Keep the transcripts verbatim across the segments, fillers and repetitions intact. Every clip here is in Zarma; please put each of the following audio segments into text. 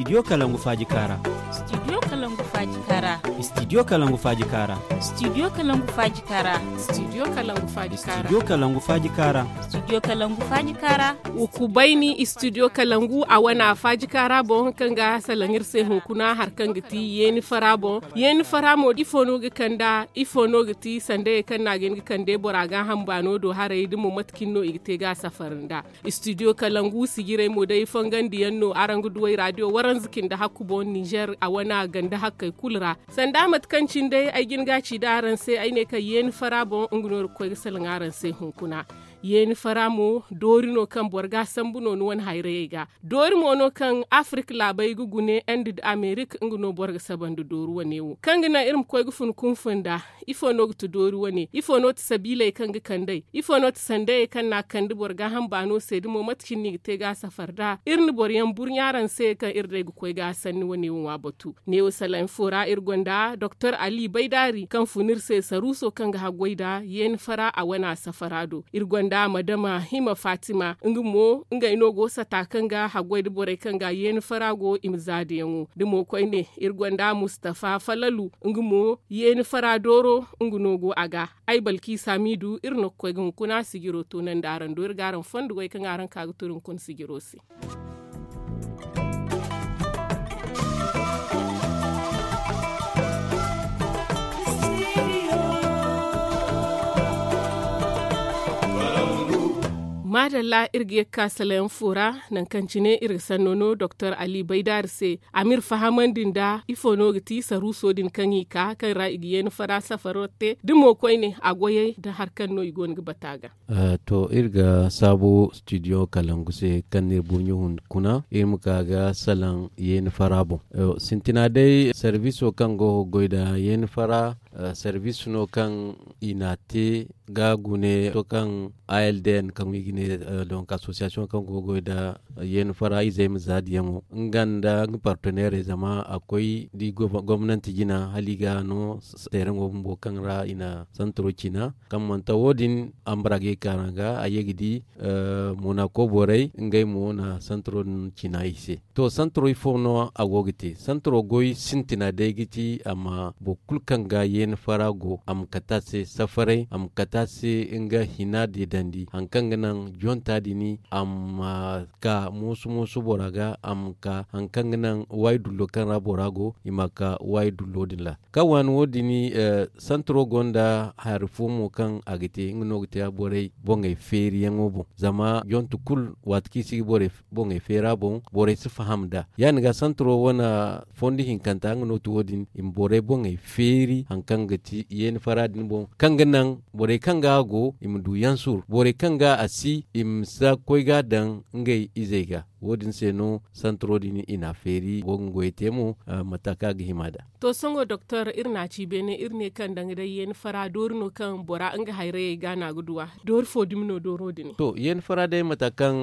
Studio kalangu faaji kaara. Studio kalangu faaji kaara. Studio kalangu faaji kaara. Studio kalangu faaji kaara. Studio kalangu faaji kaara. Studio kalangu faaji kaara. Studio kalangu faaji kaara. Wa kubayni studio kalangu a wana faaji kaara boŋ kaŋ ga salaŋ iri se hunkuna hari kaŋ ga ti yeeni fara boŋ. Yeeni fara mo ifo no ga kand'a? Ifo no ga ti sandayey kaŋ no a ga hin ga kande bora gaaham baano do haray da mo mate kaŋ no i ga te ga a safar nd'a? Studio kalangu sijirey mo day fongandiyaŋ no araŋ ga duwey raadiyo waranza cindi hakku boŋ ninzeer a wana ganda hakkey kulu ra. Sanda mate kaŋ cine day ay jin ga a ci nd'a araŋ se ay ne kaŋ yeeni fara boŋ nga no iri ga koy ga salaŋ araŋ se hunkuna. Yeeni fara mo doori no kaŋ boro ga a sambu no ni wane hayrayey ga. Doori mo no kaŋ afirik laabey ga gune ende nda amerik nga no boro ga saba nda doori wane wo kaŋ ga naŋ iri ma koy ga fun kunfun nd'a. Ifo no ga ti doori wane? Ifo no ti sabiiley kaŋ ga kand'ey? Ifo no ti sandayey kaŋ n'a kande boro gaaham baano se da mo mate cine no i ga te ga a safar nd'a? Iri na boro yaŋ burɲa araŋ se kaŋ iri day ga koy ga a sanni wane wo ŋwa batu. Neewo salaŋ fo ra iri gonda doktor ali baydaari kaŋ fun iri se saruuso kaŋ ga haggoy nda yeeni fara a wana safara do. Iri gonda madama hima fatima nga mo ngey no go sata kaŋ ga haggoy nda borey kaŋ ga yeeni fara go i ma zaadiyaŋo da mo koyne. Iri gonda mustafa falalu nga mo yeeni fara dooro nga no go a ga. Ay balki samidu iri no ga koy ga hunkuna sijiro toonandi araŋ do iri ga araŋ fondo goy kaŋ araŋ ka ga turu hunkuna sijiro se. Maadalla iri ga ye ga ka salayaŋ fo ra. Nangu kaŋ cine iri ga sanno no doktor ali baydaari se a ma iri fahamandi nda ifo no ga ti saruuso din kaŋ i ka kaŋ ra i ga yeeni fara safaro te da mo koyne a goyey nda hari kaŋ no i go no ga bata ga. To iri ga saabu studio kalangu se kaŋ no iri burɲo hunkuna iri ma ka ga salaŋ yeeni fara boŋ. Sintina day sarbiso kaŋ go ga goy nda yeeni fara sarbiso no kaŋ i n'a te ga gune to kaŋ a l d n kaŋ i ga ne donc association kaŋ go ga goy nda yeeni fara izey ma zaadiyaŋo nga nda nga partenairey zama a koy da i gomnanti jina hala i ga no teeraŋo bumbo kaŋ ra i na santaro cina kaŋ manti wo- din ambara ga ye ga ka araŋ ga a ye ga di. Monako borey ngey mo na santaro din cina i se. To santaro ifo no a go ga te santaro goy sintina day ga ti a ma boro kulu kaŋ ga yeeni fara go a ma kate a se safaray a ma kate a se nga hina deedandi hari kaŋ ga naŋ jonta din a ma ka mooso mooso bora ga a ma ka hari kaŋ ga naŋ waayi dullo kaŋ ra bora go i ma ka waayi dullo din ra. Kaŋ waani wo- din santaro gonda hari fo mo kaŋ a ga te nga no ga te a borey boŋey feeriyaŋo boŋ zama jonte kulu waati kaŋ i si ga boŋey feeri a boŋ borey si faham nd'a. Ya- din ga santaro wane fondo hinkanta nga no ti wo- din i ma borey boŋey feeri hari kaŋ ga ti yeeni fara din boŋ kaŋ ga naŋ borey kaŋ ga a go i ma du yansur borey kaŋ ga a si i ma si koy ga a daŋ ngey izey ga. Wo- din se no santaro din i n'a feeri go ga goyey te mo mate kaŋ a ga hima nd'a. To sohõ doktor iri n'a ci beene iri ne kaŋ danga day yeeni fara doori no kaŋ bora nga hayrayey ga no a ga du a doori fo dumi no dooro din. To yeeni fara day mate kaŋ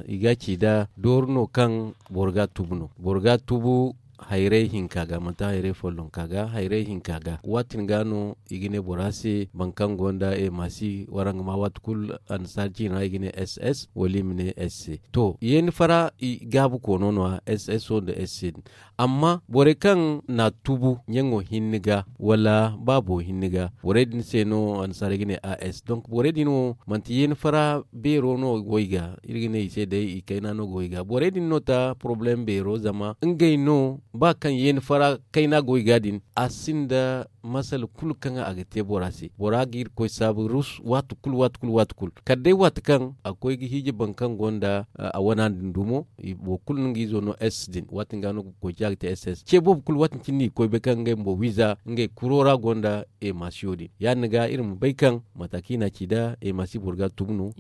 i ga a ci nd'a doori no kaŋ boro ga a tubu no boro ga a tubu hayray hinka ga manti hayray follonka ga hayray hinka ga waati din ga no i ga ne bora se boro kaŋ go nda emasi waraŋ ga ma waati kulu annasaari ciine ra i ga ne ss wala i ma ne ss. To yeeni fara i gaabu koono no- ya ss wo nda ss din. Amma borey kaŋ n'a tubu ɲaŋo hinne ga wala baabo hinne ga borey din se no annasaarey ga ne as donk borey din wo manti yeeni fara beero no go i ga iri ga ne i se day i kayna no go i ga borey din no ta porobalem beero zama ngey no ba kaŋ yeeni fara kayna go i ga din a sinda masala kulu kaŋ a ga te bora se bora ga irkoy saabu rus waati kulu waati kulu waati kulu kala day waati kaŋ a koy ga hiiji boro kaŋ gonda a wana din dumo boro kulu no nga izo no s din waati din ga no ga koy ga te s s ce boobo kulu waati din cine no i ga koy bay kaŋ ngey bumbo wiiza ngey kuro ra gonda emasiyo din ya- din ga iri ma bay kaŋ mata kaŋ i na ci nda emasi boro ga tubu no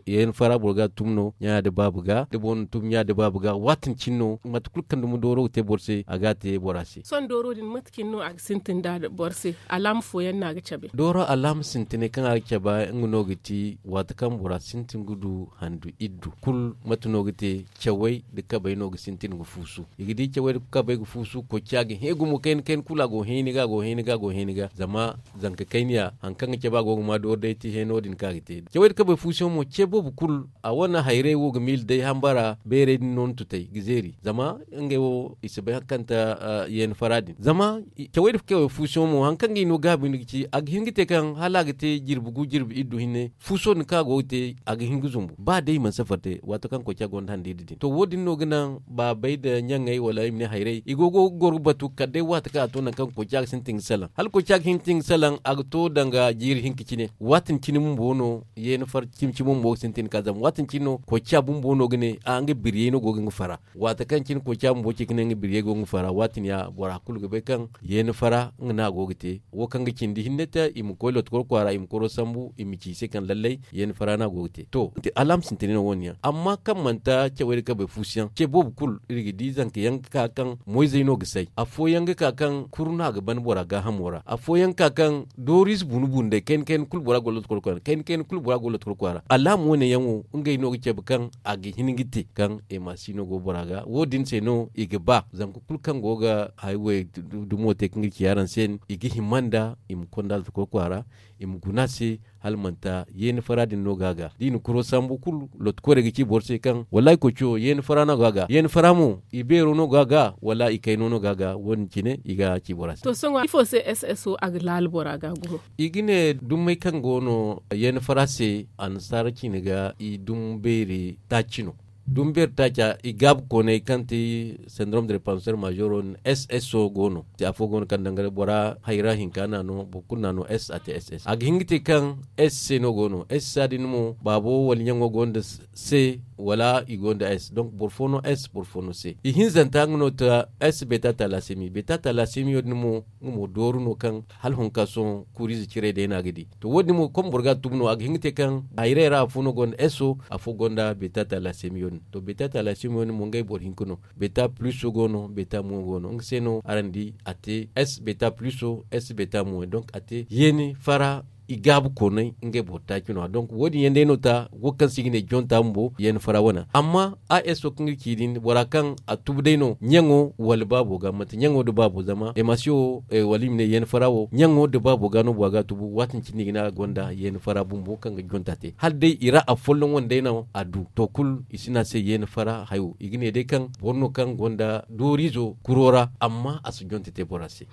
yeeni fara boro ga tubu no ɲaɲa nda baaba ga da boro na tubu ɲaɲa nda baaba ga waati din cine no mate kulu kaŋ dumo dooro te boro se a ga a te bora se. Sohõ dooro din mate cine no a ga sintin da boro se? Alaama fooyaŋ no a ga cabe. Dooro alaama sintinay kaŋ a ga cabe nga no ga ti waati kaŋ bora sintin ga du handu iddu kulu mate no ga te. Cawey nda kabey no ga sintin ga fuusu. I ga di cawey nda kabey ga fuusu koy ci a ga hẽ gumo kayna kayna kulu a go hẽ ni ga a go hẽ ni ga a go hẽ ni ga zama zanka kayna ya hari kaŋ ga cabe a go ga ma dooro day ti hẽ no- din kaŋ a ga te. Cawey nda kabey fuusu yaŋ mo ce boobo kulu a wane hayray wo ga miila day hambara beerey din no ni tutay ga zeeri zama ngey wo i si bay hari kaŋ ta yeeni fara din zama cawey nda kabey fuusu yaŋ mo hari kaŋ ga i no gaabi nda ga ci a ga hin ga te kaŋ hala a ga te jirbi gu jirbi iddu hinne. Fuuso din kaŋ a go ga te a ga hin ga zumbu ba day i mana safar te waati kaŋ koy ci a gonda handi iddu din to wo- din no ga naŋ baabey nda ɲaŋey wala i ma ne hayray i go ga goro ga batu kala day waati kaŋ a to nangu kaŋ koy ci a ga sintin ga salaŋ hala koy ci a ga sintin ga salaŋ a ga to danga jiiri hinka cine. Waati din cine bumbo no yeeni fara cimi cimi bumbo ga sintin ga ka zama waati din cine no koy ci a bumbo no ga ne a nga biriyey no go ga nga fara. Waati kaŋ cine koy ci a bumbo ci ga ne nga biriyey go ga nga fara waati din ya bora kulu ga bay kaŋ yeeni fara nga no a go ga te. Wo kaŋ ga cindi hinne te i ma koy lotkoro kwaara i ma koro sambu i ma ci i se kaŋ lallay yeeni fara no a go ga te to. Alaama sintinay no wo- din yaŋ amma kaŋ manti cawey nda kabey fuusu yaŋ ce boobo kulu iri ga di zanka yaŋ ga ka kaŋ moyzey no ga say afooyaŋ ga ka kaŋ kuru no a ga ban bora gaahamo ra afooyaŋ ga ka kaŋ dooriize bunu bunu day kayna kayna kulu bora go lotkoro kwaara kayna kayna kulu bora go lotkoro kwaara alaama wo- ne yaŋ wo ngey no ga cabe kaŋ a ga hin ga te kaŋ emasi no go bora ga wo- din se no i ga ba zanka kulu kaŋ go ga haywey dumo te kaŋ ga ci araŋ se i ga hima nda i ma konda lotkoro kwaara i ma guna se. Hala manti yeeni fara din no ga a ga da i na kuro sambu kulu lotokorey ga ci boro se kaŋ wallaahi koy ciyo yeeni fara no ga a ga yeeni fara mo i beero no ga a ga wala i kayno no ga a ga wo- din cine i ga ci bora se. To sohõ ifo se ss wo a ga laala bora ga gumo? I ga ne dumey kaŋ go no yeeni fara se annasaara ciine ga i dum beeri taaci no. Dum beeri taaca i gaabu kooney kaŋ ti sendrom de repanser majoro ss wo go no. Afo go no kaŋ dangare bora hayra hinka no a no boro kulu no a no s a te ss a ga hin ga te kaŋ s se no go no s se a din mo baabo wala ɲaŋo go nda se wala i go nda s donc boro fo no s boro fo no se ihinzanta nga no ta s beta talasemi beta talasemi wo din mo nga mo dooru no kaŋ hala hunka sohõ kuriize ciray day no a ga di. To wo- din mo kaŋ boro ga a tubu no a ga hin ga te kaŋ hayray ra afo no gonda s o afo gonda beta talasemi wo- din to beta talasemi wo- din mo ngey boro hinka no. Beta pluso go no beta muwo go no nga se no araŋ di a te s beta pluso s beta muwo donc a te yeeni fara i gaabu koonay ngey boro taaci no a donc wo- din yaŋ day no ta wo kaŋ se i ga ne jonta bumbo yeeni fara wane amma a s o kaŋ ga ci din bora kaŋ a tubu day no ɲaŋo wala baabo ga manti ɲaŋo nda baabo zama emasiyo wala i ma ne yeeni fara wo ɲaŋo nda baabo ga no bora ga a tubu waati din cine i ga ne a gonda yeeni fara bumbo kaŋ ga jonta te hala day i ra afolloŋ wane day no a du to kulu i si ne a se yeeni fara hayo i ga ne day kaŋ boro no kaŋ gonda dooriizo kuro ra amma a si jonta te bora se.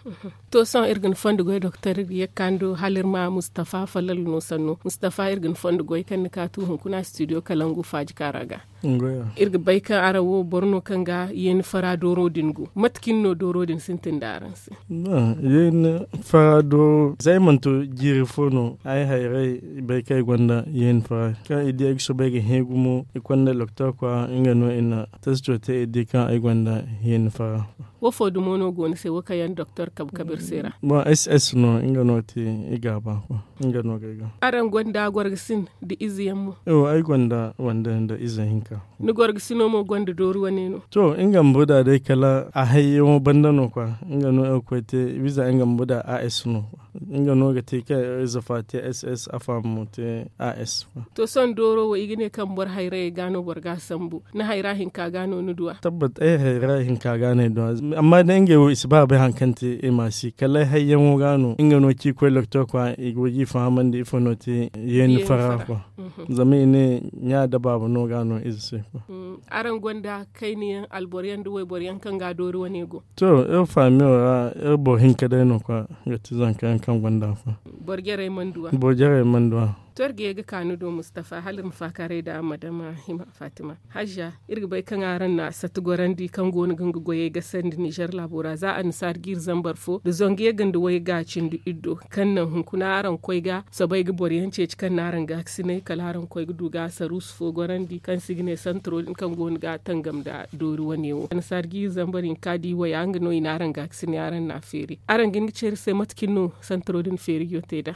To sohõ iri ga ni fondo goy doktor iri ga ye ga ka ni do hala iri ma mustafa falal no sanno mustafa iri ga ni fondo goy kaŋ ni ka tu hunkuna studio kalangu faaji kaara ga. Iri ga bay kaŋ araŋ wo boro no kaŋ ga yeeni fara dooro din go mate cine no dooro din sintin da araŋ se? Yeeni fara dooro za ay mana to jiiri fo no ay hayray bay kaŋ ay gonda yeeni fara kaŋ i di ay ga soobay ga hẽ gumo i konda doktor kwaara nga no i na testo te i di kaŋ ay gonda yeeni fara. Wo fo dumo no go ni se wo kaŋ yaŋ doktor kabe kabe iri se ra? Bon ss no nga no te i gaaba. Nga no ga ay ga. Araŋ gonda gorgasin da ize yaŋ mo? Ay gonda wande nda ize hinka. Ni gorgasino mo gonda doori wane no? To nga bumbo da day kala a hayyaŋo banda no kwa. Nga no ay ga koy te bisa nga bumbo da a s no. Nga no ga te kaŋ ize fa te s s a fa mo te a s. To sohõ dooro wo i ga ne kaŋ boro hayrayey ga no boro ga sambu ni hayra hinka ga no ni duwa? Tabbat ay hayra hinka ga no ay duwa. Amma day ngey wo i si ba bay hari kaŋ te i ma si kala ay hayyaŋo ga no nga no ci koy doktor kwa i go ga i fahamandi ifo no te yeeni fara kwa. Zama i ne ɲa da baaba no ga no ize se kwa. Araŋ gonda kayna yaŋ alboro yaŋ da wayboro yaŋ kaŋ ga doori wane go? To iri faamiyo ra iri boro hinka day no kwa. Ga ti zanka yaŋ kaŋ gonda kwa. Boro jarey mana duwa. Boro jarey mana duwa. To iri ga ye ga ka ni do mustafa hala iri ma faakaaray da madama hima fatima hajja. Iri ga bay kaŋ araŋ na satti gorandi kaŋ go no ga nga goyey gasandi nizer laabo ra za annasaara ga iri zambar fo nda zangu yagga nda wayga cindi iddo kaŋ naŋ hunkuna araŋ koy ga soobay ga boro yaŋ ceeci kaŋ na araŋ gaakasinay kala araŋ koy ga du ga saruusu fo gorandi kaŋ se i ga ne santaro din kaŋ go no ga tangam nda doori wane wo annasaara ga iri zambar hinka di waya nga no i na araŋ gaakasinay araŋ na a feeri araŋ ga hin ga ceeri se mate cine no santaro din feeri go te nd'a?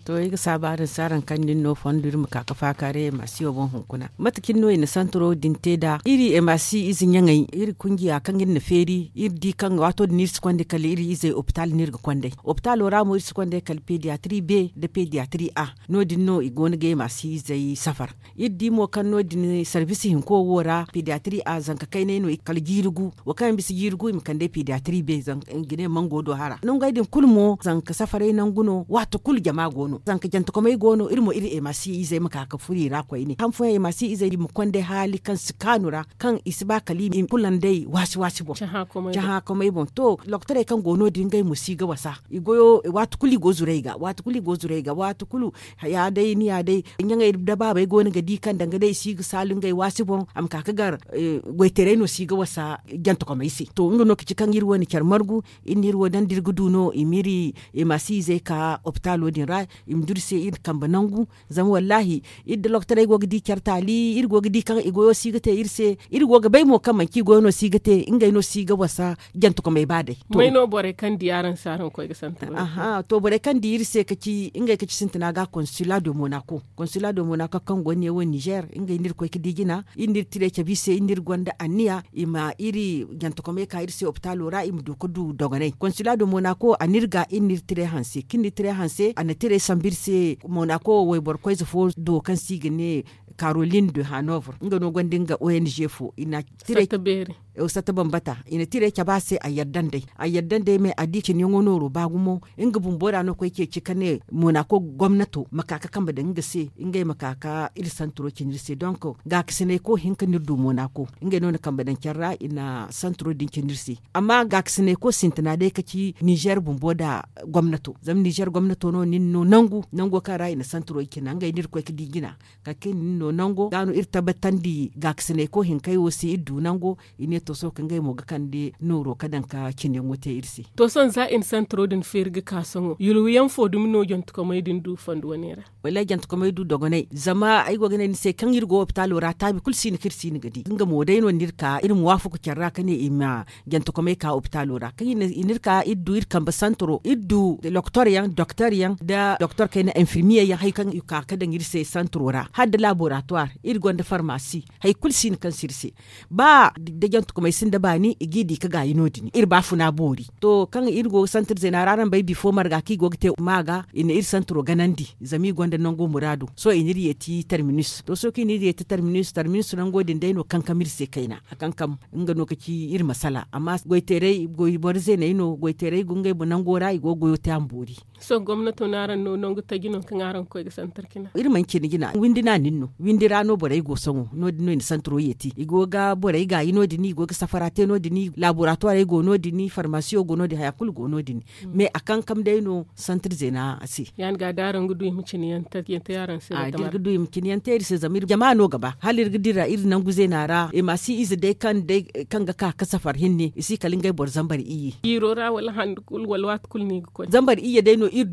To ay ga saabu araŋ se araŋ. Nin no fondo iri ma ka ga faakaaray emasiyo boŋ hunkuna mate cine no i na santaro din te nd'a iri emasi ize ɲaŋey iri kungiya kaŋ iri na feeri iri di kaŋ waato din iri si konda kala iri izey opitaal no iri ga konday. Opitaalo ra mo iri si konday kala pediyatiri be nda pediyatiri a. No- din no i go no ga emasi izey safar. Iri di mo kaŋ no- din sarbisi hinko wo ra pediyatiri a zanka kaynay no kala jiiri gu. Wo kaŋ yaŋ bisa jiiri gu i ma kande pediyatiri be i ga ne mango do hara nangey din kulu mo zanka safaray nangu no waati kulu jama go no zanka jantakomey go no iri mo iri emasi izey ma ka ga furo i ra koyne han fooyaŋ emasi izey i ma konday haali kaŋ si kaanu ra kaŋ i si ba kala i ma i kulandey waasi waasi boŋ. Cahã komey boŋ to loktorey kaŋ go no- din ngey mo si ga wasa. I goyo waati kulu i go zuray ga waati kulu i go zuray ga waati kulu. Ya day ni ya day ɲaŋey da baabey go no ga di kaŋ danga day i si ga saalu ngey waasi boŋ a ma ka ga gar. Goyteeray no si ga wasa jantakomey se to nga no ga ci kaŋ iri wo na care margu. Iri no iri wo daŋ da iri ga du no i ma iri i ma si izey ka opitaalo din ra i ma du iri se iri kambe nangu. Zama wallaahi iri da loktorey go ga di care taali iri go ga di kaŋ i goyo si ga te iri se. Iri go ga bay mo kaŋ manci i goyo no si ga te ngey no si ga wasa jantakomey ba day. May no borey kaŋ di araŋ se araŋ ga koy ga santa? Aha to borey kaŋ di iri se ka ci ngey ga ci sintina ga konsila do monako konsila do monako kaŋ go ne wo nizer ngey no iri koy ga di jina. Iri no iri tire cabe i se iri no iri gonda anniya i ma iri jantakomey ka iri se opitaalo ra i ma du ga du dogonay konsila do monako a no iri ga iri no iri tire hanse kaŋ iri tire hanse a na tire sambu iri se. Monako wayboro koyze fo do kaŋ se i ga ne karolin de hanover nga no gonda nga ong fo i na tire satta bambata i na tire cabe a se a yadda nd'ey a yadda nd'ey me a di cine yaŋo nooro ba gumo. Nga bumbo ra no koy ceeci ka ne monako gomnato ma ka ga kambe daŋ nga se ngey ma ka ga iri santaro cine iri se donk gaakasinay ko hinka no iri du monako ngey no na kambe daŋ care ra i na santaro din cine iri se. Amma gaakasinay ko sintina day ka ci nizer bumbo nda gomnato zama nizer gomnato no nin no nangu nango kaŋ ra i na santaro i cina ngey no iri koy ga di jina. Kala kaŋ i na ni no nango ga no iri tabbatandi gaakasinay ko hinkey wo se iri du nango. I ne to sohõ kaŋ ngey mo ga kande nooro ka daŋ ka cine yaŋo te iri se. To sohõ za i na santaro din feeri ga ka sohõ yulwa yaŋ fo dumi no jantakomey din du fondo wane ra? Wallaahi jantakomey du dogonay zama ay go ga ne ni se kaŋ iri go opitaalo ra taabi kulu si no kaŋ iri si no ga di nga mo day no ni iri ka iri ma waafaku care ra ka ne i ma jantakomey ka opitaalo ra kaŋ i na iri ka iri du iri kambe santaro iri du loktor yaŋ doktor yaŋ nda doktor kayna infirmiye yaŋ hari kaŋ i ka ga daŋ iri se santaro ra hala nda laboratuwar iri gonda farmasi. Hari kulu si no kaŋ si iri se ba da jantakumey sinda baani i g'i di ka gaayi no- din iri baafuna boori. To kaŋ iri go ga santir zeena ra araŋ bay bifo marga kaŋ i go ga te ma ga i na iri santiro ganandi zama i gonda nango muraadu sohõ i na iri yeeti terminus to sohõ kaŋ i na iri yeeti terminus terminus nango din day no kankam iri se kayna a kankam. Nga no ga ci iri masala amma goy teeray goy boro zeeney no goy teeray go ngey nango ra i go ga goyo te a ma boori. Sohõ gomnato no araŋ no nangu taji no kaŋ araŋ ga koy ga santir cina? Iri mana cine jina windi no a nin no windi ra no borey go sohõ no- din no i na santiro yeeti i go ga borey gaayi no- din i go ga safara te no- din laboratuwarey go no- din farmasiyo go no- din haya kulu go no- din. Mais a kankam day no santir zeena se. Ya- din ga da araŋ ga du i ma cine yaŋ te araŋ se? Da iri ga du i ma cine yaŋ te iri se zama iri jama no ga ba hala iri ga dira iri nangu zeena ra i ma si ize day kaŋ ga ka ga safar hinne i si kala ngey boro zambar iyye. Jiiro ra wala handu kulu wala waati kulu no i ga koy zambar iyye day no iri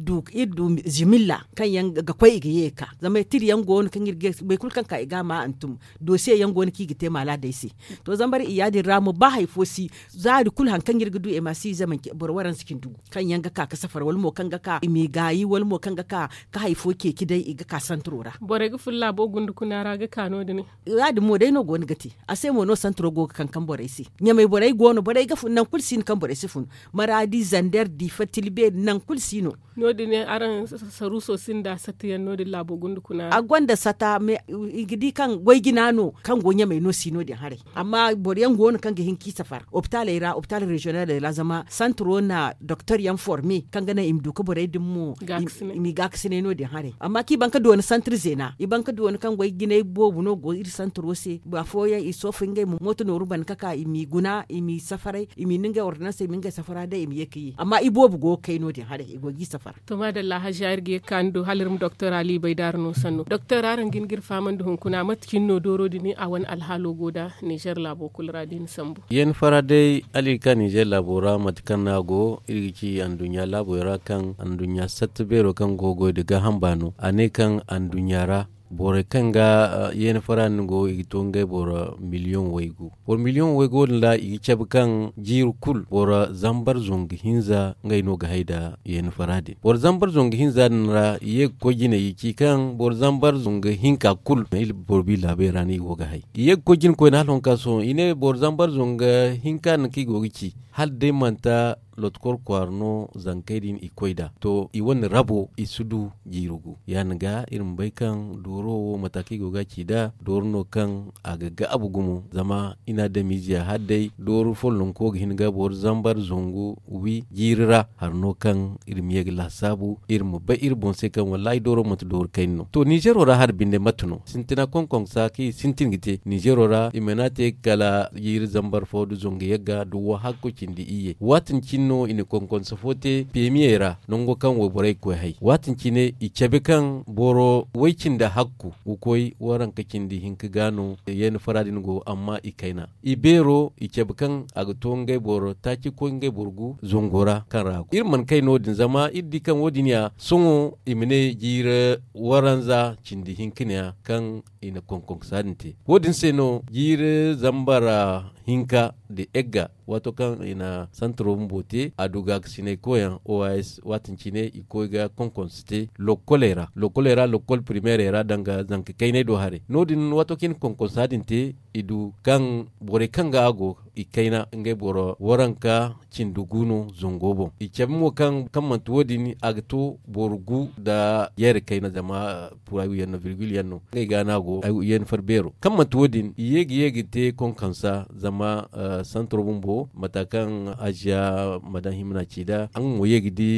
du zimilla kaŋ yaŋ ga koy i ga ye ga ka zama tiri yaŋ go no kaŋ iri ga boro kulu kaŋ ka i ga a ma hantum. Dosiye yaŋ go no kaŋ i ga te maala day se. To zambar iyya din ra mo ba hari fo si zaari kulu hari kaŋ iri ga du i ma si ize manci boro waranza cindi gu kaŋ yaŋ ga ka ga safar wala mo kaŋ ga ka i m'i gaayi wala mo kaŋ ga ka ga hari fo ceeci day i ga ka santiro ra. Borey ga fun laabo gunda kuna ra ga ka no- din? Ya- din mo day no go no ga te a se mo no santiro go ga kankam borey se. Ɲamey borey go no borey ga fun nangu kulu si no kaŋ borey si fun. Maraadi zander diifa tilbeeri nangu kulu si no. No- din ne araŋ saruuso sinda satta yaŋ no- din laabo gunda kuna ra a gonda sata mais i ga di kaŋ goy jina no kaŋ go ɲamey no si no- din haray. Amma boro yaŋ go no kaŋ ga hin ka i safar opitaaley ra opitaal reziyonaley ra zama santiro na doktor yaŋ forme kaŋ ga naŋ i ma du ga borey din mo i m'i gaakasinay no- din haray amma kaŋ i ban ga doona santir zeena i ban ga doona kaŋ goy jinay boobo no go iri santiro se. Afooyaŋ i soofu ngey ma mooto nooru bana ga ka i m'i guna i m'i safaray i m'i na ngey ordonanse i ma ngey safara day i ma ye ga ye amma iboobo go ga kay no- din haray i go g'i safara. To maadalla hajja iri ga ye ga ka ni do hala iri ma doktor ali bay da araŋ no sannu doktor araŋ ga hin ga iri fahamandi hunkuna mate cine no dooro din a wane alhaalo go nd'a nizer laabo kulu ra da i na sambu? Yeeni fara day hala iri ga ka nizer laabo ra mate kaŋ no a go iri ga ci anduɲɲa laabo ra kaŋ anduɲɲa satta beero kaŋ go ga goy nda gaaham baano a ne kaŋ anduɲɲa ra Borey kaŋ ga yeeni fara din go i ga to ngey boro miliyoŋ waygu. Boro miliyoŋ waygu wo- din ra i ga cabe kaŋ jiiri kulu boro zambar zangu hinza ngey no ga hay nda yeeni fara din. Boro zambar zangu hinza din ra i ye ga koy jine i ci kaŋ boro zambar zangu hinka kulu iri boro bi laabey ra no i go ga hay. I ye ga koy jine koyne hala honka sohõ i ne boro zambar zangu hinka din kaŋ i go ga ci hala day manti lotkor kwaara no zankey din i koy nd'a to i wane rabo i si du jiiri gu. Ya- din ga iri ma bay kaŋ dooro wo mata kaŋ i go ga a ci nd'a dooro no kaŋ a ga gaabu gumo zama i na adamiize ya hala day dooro follonko ga hin ga boro zambar zangu wi jiiri ra hari no kaŋ iri ma ye ga laasaabu iri ma bay iri boŋ se kaŋ wallaahi dooro manti dooro kayna no to ninzeero ra hari binde mate no sintina konkonsa kaŋ i sintin ga te ninzeero ra i mana te kala jiiri zambar fo nda zangu yagga nda wahakku cindi iyye waati din cine no i na konkonsa fo te peemiyey ra nango kaŋ wayborey ga koy hay waati din cine i cabe kaŋ boro way cindi hakku ga koy waranka cindi hinka ga no yeeni fara din go amma i kayna i beero i cabe kaŋ a ga to ngey boro taaci koy ngey boro gu zango ra kaŋ ra a go iri mana kay no- din zama iri di kaŋ wo- din ya sohõ i ma ne jiiri waranza cindi hinka ne- ya kaŋ i na konkonsa din te wo- din se no jiiri zambar hinka nda egga waato kaŋ i na santaro bumbo te a du gaakasinay koyyaŋ oas waati din cine i koy ga konkonsa te lokkoley ra lokkoley ra lokkol pirimeerey ra danga zanka kaynay do haray no- din waato kaŋ i na konkonsa din te i du kaŋ borey kaŋ ga a go i kayna ngey boro waranka cindi gu no zango boŋ i cabe mo kaŋ manti wo- din a ga to boro gu nda jeere kayna zama purawi yaŋ no virgil yaŋ no ngey ga no a go yeeni far beero kaŋ manti wo- din i ye ga ye ga te konkonsa zama santaro bumbo mata kaŋ aziya ma daŋ hima no a ci nd'a nga mo ye ga di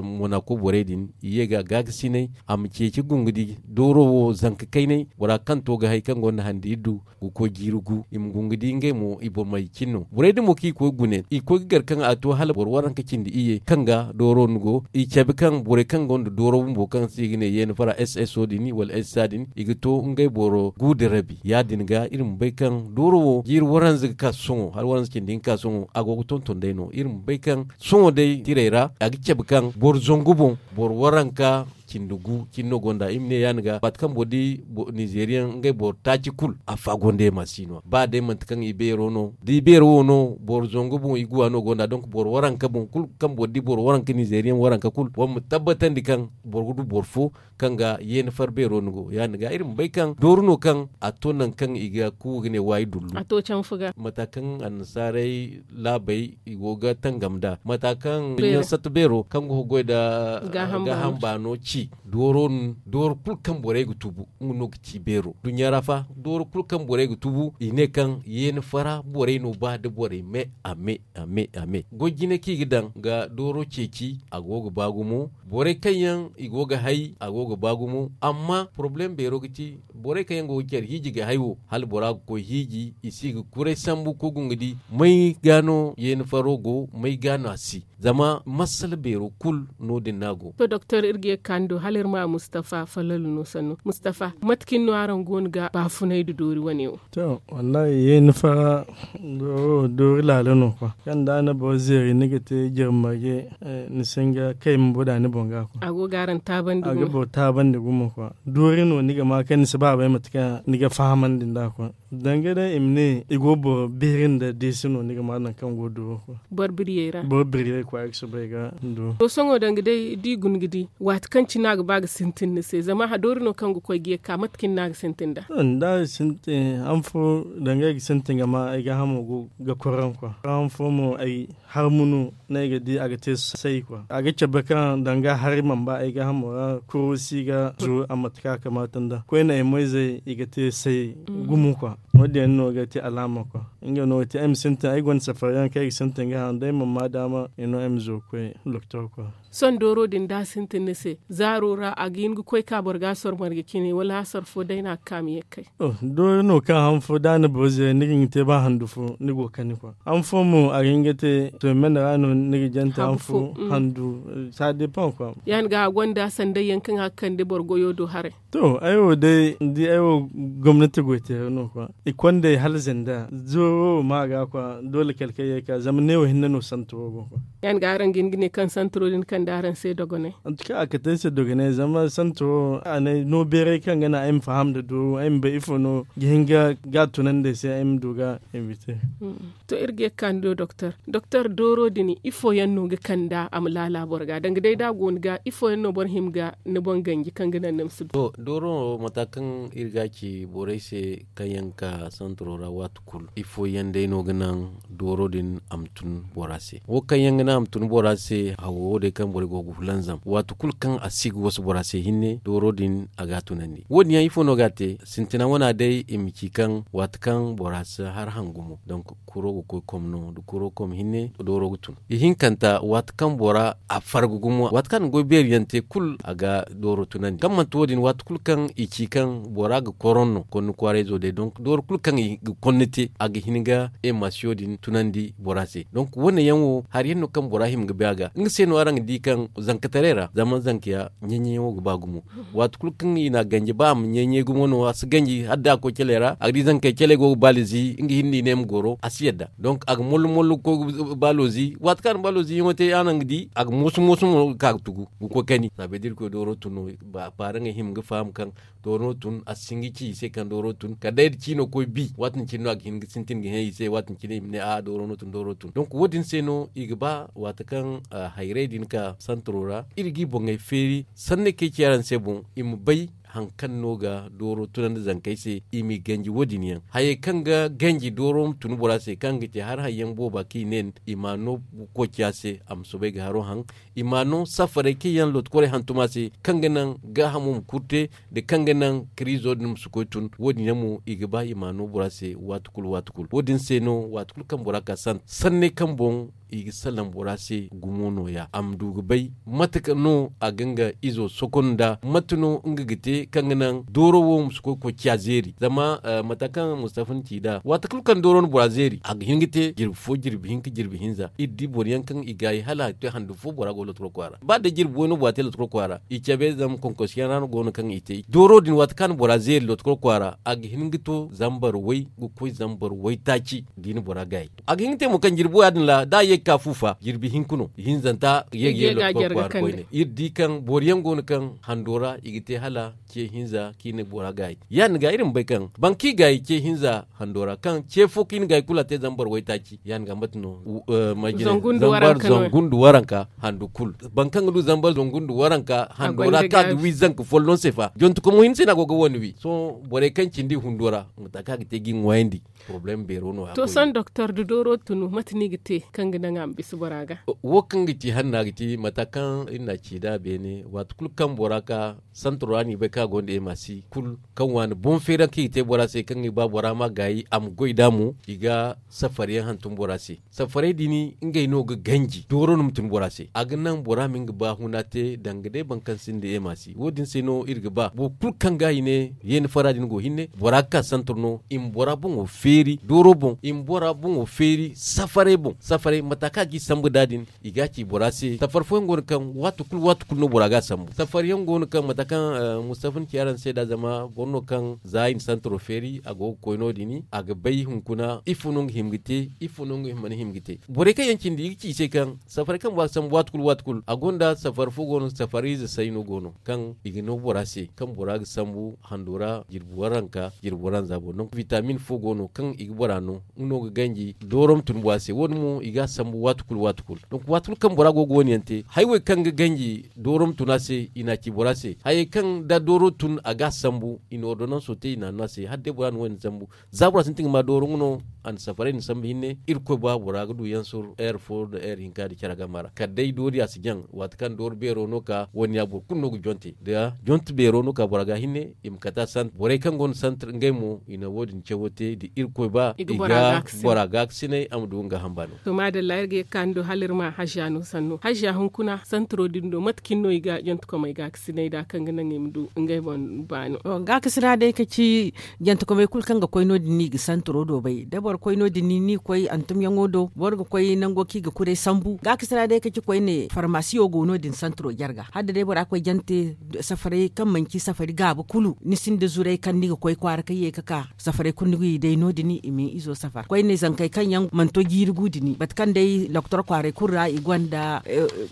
monako borey din i ye ga a gaakasinay a ma ceeci gungudi dooro wo zanka kaynay bora kaŋ to ga hay kaŋ gonda handi iddu ga koy jiiri gu i ma gungudi ngey mo i boŋ ma i cine no borey din mo kaŋ i koy gune i koy ga gar kaŋ a to hala boro waranka cindi iyye kaŋ ga dooro ni go i cabe kaŋ borey kaŋ gonda dooro bumbo kaŋ se i ga ne yeeni fara sso din wala ssa din i ga to ngey boro gu da rabi ya- din ga iri ma bay kaŋ dooro wo jiiri waranza ga ka sohõ hala waranza cindi hinka sohõ a go ga tonton day no iri ma bay kaŋ sohõ day tirey ra a ga cabe kaŋ boro zangu boŋ boro waranka cindi gu cine no gonda i ma ne ya- din ga waati kaŋ boro di ninzeeriyaŋ ngey boro taaci kulu affa gonda yaŋ ma si no ba day manti kaŋ i beero no da i beero wo no boro zangu boŋ i guwa no gonda donk boro waranka boŋ kulu kaŋ boro di boro waranka ninzeeriyaŋ waranka kulu boro ma tabbatandi kaŋ boro ga du boro fo kaŋ ga yeeni far beero no go ya- din ga iri ma bay kaŋ dooru no kaŋ a to nangu kaŋ i ga kuuwa ga ne waayi dullu a to canfu ga mata kaŋ annasaarey laabey i go ga tangam nd'a mata kaŋ dunyaŋ satta beero kaŋ ga hoggoy nda gaaham baano ci dooro kulu kaŋ borey ga tubu nga no ga ci beero dunya ra fa dooro kulu kaŋ borey ga tubu i ne kaŋ yeeni fara borey no ba da borey me a me a me a me goy jine kaŋ i ga daŋ ga dooro ceeci a go ga ba gumo borey kaŋ yaŋ i go ga hay a go ga ba gumo amma poroblem beero ga ci borey kaŋ yaŋ go ga care hiiji ga hay wo hala bora ga koy hiiji i si ga kuray sambu koy ga nga di may ga no yeeni faro go may ga no a si zama masala beero kulu no- din no a go to doktor iri ga ye ga ka ni do hala iri ma mustafa falalu no sannu mustafa mate kaŋ ni no araŋ go no ga baafunay nda doori wane wo to wallahi yeeni fara doori laala no kwa kaŋ da a na boro zeeri ni ga te jirmarje ni si hin ga kay bumbo da ni boŋ ga kwa a go ga araŋ taabandi a ga boro taabandi gumo kwa doori no ni ga ma kaŋ ni si ba bay mate kaŋ ni ga fahamandi nd'a kwa danga day i ma ne i go boro beeri nda deesi no ni ga ma nangu kaŋ go dooro kwa boro biriyey ra boro biriyey kwa ay ga soobay ga dooro to sohõ danga day da i guna ga di waati kaŋ cine a ga ba ga sintin ni se zama hadoori no kaŋ ga koy ga ye ga ka mate kaŋ ni ne a ga sintin nd'a da a ga sintin han fo danga ay ga sintin ga ma ay gaahamo go ga koraŋ kwa han fo mo ay harmunu no ay ga di a ga te say kwa a ga cabe kaŋ danga hari mana ba ay gaahamo ra kuro si ga zuru a mate kaŋ a kamaata nda koyne ay moyzey i ga te say gumo kwa wo- din yaŋ no ga te alaama kwa nga no ga te ay ma sintin ay gonda safari yaŋ kaŋ ay ga sintin ga haŋ day mana ma daama i no ay ma zo ga koy doktor kwa sohõ dooro din da a sintin ni se zaaro ra a ga hin ga koy ka boro ga a soro marga cine wala a soro fo day no a ga ka ma ye ga kay doori no kaŋ han fo da a na boro zeeri ni ga hin ga te ba handu fo ni go ga kani kwa han fo mo a ga hin ga te to men ra no ni ga jante han fo handu ça dépend quoi ya- din ga a gonda sanday yaŋ kaŋ a ga kande boro goyo do haray to ay wo day ni di ay wo gomnati goyteero no kwa i kondey hala zanda Wo ma ga kwa doole kala kaŋ ye ga ka zama neewo hinne no santiro go kwa. Ya- din ga araŋ ga hin ga ne kaŋ santiro din kande araŋ se dogonay? Antuka a kate ay se dogonay zama santiro a ne no beeray kaŋ ga naŋ ay ma faham nda dooru ay ma bay ifo no ga hin ga ga tunandi ay se ay ma du ga invite. To iri ga ye ga ka ni do doktor doktor dooro din ifo yaŋ no ga kande a ma laala boro ga danga day da a go ni ga ifo yaŋ no boro hima ga ni boŋ ganji kaŋ ga naŋ ni ma si du? To dooro wo mata kaŋ iri ga a ci borey se kaŋ yaŋ ga ka santiro ra waati kulu ifo yaŋ day no ga naŋ dooro din a ma tun bora se wo kaŋ yaŋ ga naŋ a ma tun bora se hawo wo day kaŋ borey go ga hulanzam waati kulu kaŋ a si ga wasu bora se hinne dooro din a ga a tunandi wo- din yaŋ ifo no ga a te sintina wana day i ma ci kaŋ waati kaŋ bora si har hangu mo donk kuro ga koy kom no da kuro kom hinne dooro ga tun ihinkanta waati kaŋ bora a farga gumo waati kaŋ a na goy beeri yaŋ te kulu a ga dooro tunandi kaŋ manti wo- din waati kulu kaŋ i ci kaŋ bora ga koron no konni kwaarayzo day donk dooro kulu kaŋ i ga konni te a ga hin ga emasiyo din tunandi bora se donk wo- ne yaŋ wo hari yaŋ no kaŋ bora hima ga bay a ga nga se no araŋ ga di kaŋ zankataray ra zama zanka ya ɲaɲayaŋo ga ba gumo waati kulu kaŋ i na a ganji ba a ma ɲeeɲey gumo no a si ganji hala da a koy caley ra a ga di zankey caley go ga baali zi nga hinne i ne ma goro a si yadda donk a ga mollo mollo ga koy ga baalo zi waati kaŋ a na baalo zi yaŋo te araŋ ga di a ga moosu moosu mo ga ka ga tugu ga koy kani sabeeda irkoy dooro tun no paaraŋey hima ga faham kaŋ dooro tun a si hin ga ci i se kaŋ dooro tun kala day da ciino koy bi waati din cine no a ga hin ga sintin ga hẽ i se waati din cine i ma ne a dooro no tun dooro tun donk wo- din se no i ga ba waati kaŋ hayrey din ka santiro ra iri ga i boŋey feeri sanney kaŋ ay ci araŋ se boŋ i ma bay haŋ kaŋ no ga dooro tunandi zankey se i m'i ganji wo- din yaŋ hayey kaŋ ga ganji dooro ma tun bora se kaŋ ga te har haŋ yaŋ booba kaŋ i ne i ma a no koociya se a ma soobay ga haro haŋ i ma a no safarey kaŋ yaŋ lootikorey hantuma se kaŋ ga naŋ gaahamo ma kurte nda kaŋ ga naŋ kariizo din ma si koy tun wo- din yaŋ mo i ga ba i ma a no bora se waati kulu waati kulu wo- din se no waati kulu kaŋ bora ka sanney kaŋ boŋ i ga salaŋ bora se gumo nooya a ma du ga bay mate no a ga nga izo sokonda mate no nga ga te kaŋ ga naŋ dooro wo ma si koy koy ciya zeeri zama mata kaŋ mustafa ni ci nd'a waati kulu kaŋ dooro na bora zeeri a ga hin ga te jirbi fo jirbi hinka jirbi hinza iri di boro yaŋ kaŋ i gaayi hala a ga te handu fo bora go lootokoro kwaara ba day jirbi way no bora te lootokoro kwaara i cabe zama konkosiyaŋ ra no go no kaŋ i te dooro din waati kaŋ a na bora zeeri lootokoro kwaara a ga hin ga to zambar way ga koy zambar way taaci da i na bora gaayi a ga hin ga te mo kaŋ jirbi wo ya- din ra da a ye ga ka fuufa jirbi hinka no ihinzanta ye ga ye lootokoro kwaara koyne iri di kaŋ boro yaŋ go no kaŋ hando ra i ga te hala ce hinza kaŋ i na bora gaayi ya- din ga iri ma bay kaŋ boro kaŋ i gaayi ce hinza hando ra kaŋ ce fo kaŋ i na gaayi kulu a te zambar waytaaci ya- din ga mate no zangu nda waranka hando kulu boro kaŋ ga du zambar zangu nda waranka hando ra kaŋ a ga wi zanka folloŋ se fa jonti komo hinne se no a go ga wane wi sohõ borey kaŋ cindi hundo ra mate kaŋ a ga te ga i ŋwaayandi poroblem beero no ya to sohõ doktor da dooro tunu mate no i ga te kaŋ ga naŋ a ma bisa bora ga wo kaŋ ga ci hanna ga ti mata kaŋ iri na a ci nd'a beene waati kulu kaŋ bora ka santoro ra no i bay kaŋ a gonda emasi kulu kaŋ waani boŋ feeraŋ kaŋ i ga te bora se kaŋ ga ba bora ma gaayi a ma goy nd'a mo i ga safariyaŋ hantum bora se safarey din ngey no ga ganji dooro no ma tun bora se a ga naŋ bora ma nga baahuna te danga day boro kaŋ sinda emasi wo- din se no iri ga ba boro kulu kaŋ ga i ne yeeni fara din go hinne bora ga ka santar no i ma bora boŋo feeri dooro boŋ i ma bora boŋo feeri safarey boŋ safarey mata kaŋ a ga i sambu nd'a din i ga a ci bora se safar fooyaŋ go no kaŋ waati kulu waati kulu no bora ga a sambu safar yaŋ go no kaŋ mata kaŋ mustafa na ci araŋ se nd'a zama boro no kaŋ za i na santaro feeri a go ga koy no- din a ga bay hunkuna ifo no nga hima ga te ifo no nga mana hima ga te borey kaŋ yaŋ cindi i ga ci i se kaŋ safarey kaŋ bora ga sambu waati kulu waati kulu a gonda safar fo go no safar ize sayno go no kaŋ i ga no bora se kaŋ bora ga sambu hando ra jirbi waranka jirbi waranza boŋ donc vitamin fo go no kaŋ i ga bora no nga no ga ganji dooro ma tun bora se wo- din mo i ga a sambu waati kulu waati kulu donc waati kulu kaŋ bora go ga wane yaŋ te haywey kaŋ ga ganji dooro ma tun a se i na a ci bora se hayey kaŋ da dooro tun a ga a sambu i na ordonanso te i na a no a se hala day bora na wo- din sambu za bora sintin ga ma dooro nga no a na safarey din sambu hinne irkoy ba bora ga du yaŋ sur heure fo nda heure hinka nda care game ra kala day doori a si jaŋ waati kaŋ doori beero no ka wo- din ya boro kulu no ga jonte da jonte beero no ka bora ga hinne i ma kate a sant borey kaŋ go no santar ngey mo i na wo- din cawo te da irkoy ba i ga bora gaakasinay a ma du nga hamba no to maadalla iri ga ye ga ka ni do hala iri ma hajja no sanno hajja hunkuna santaro din do mate cine no i ga jonte komey gaakasinay nd'a kaŋ ga naŋ i ma du ngey boŋ baano gaakasina day ka ci jantakomey kulu kaŋ ga koy no- din no i ga santaro do bay da Koy no- din ni ni ga koy hantumyaŋo do boro ga koy nango kaŋ i ga kuray sambu ga a kasi ra day ka ci koyne farmasiyo go no- din santiro jarga hala da day bora ga koy jante safaray kaŋ manci safari gaabu kulu ni sinda zuray kaŋ ni ga koy kwaara kaŋ ye ga ka safaray kulu ni ga i day no- din i ma ni izo safar koyne zankey kaŋ yaŋ mana to jiiri gu din mate kaŋ day lokotor kwaaray kulu ra i gonda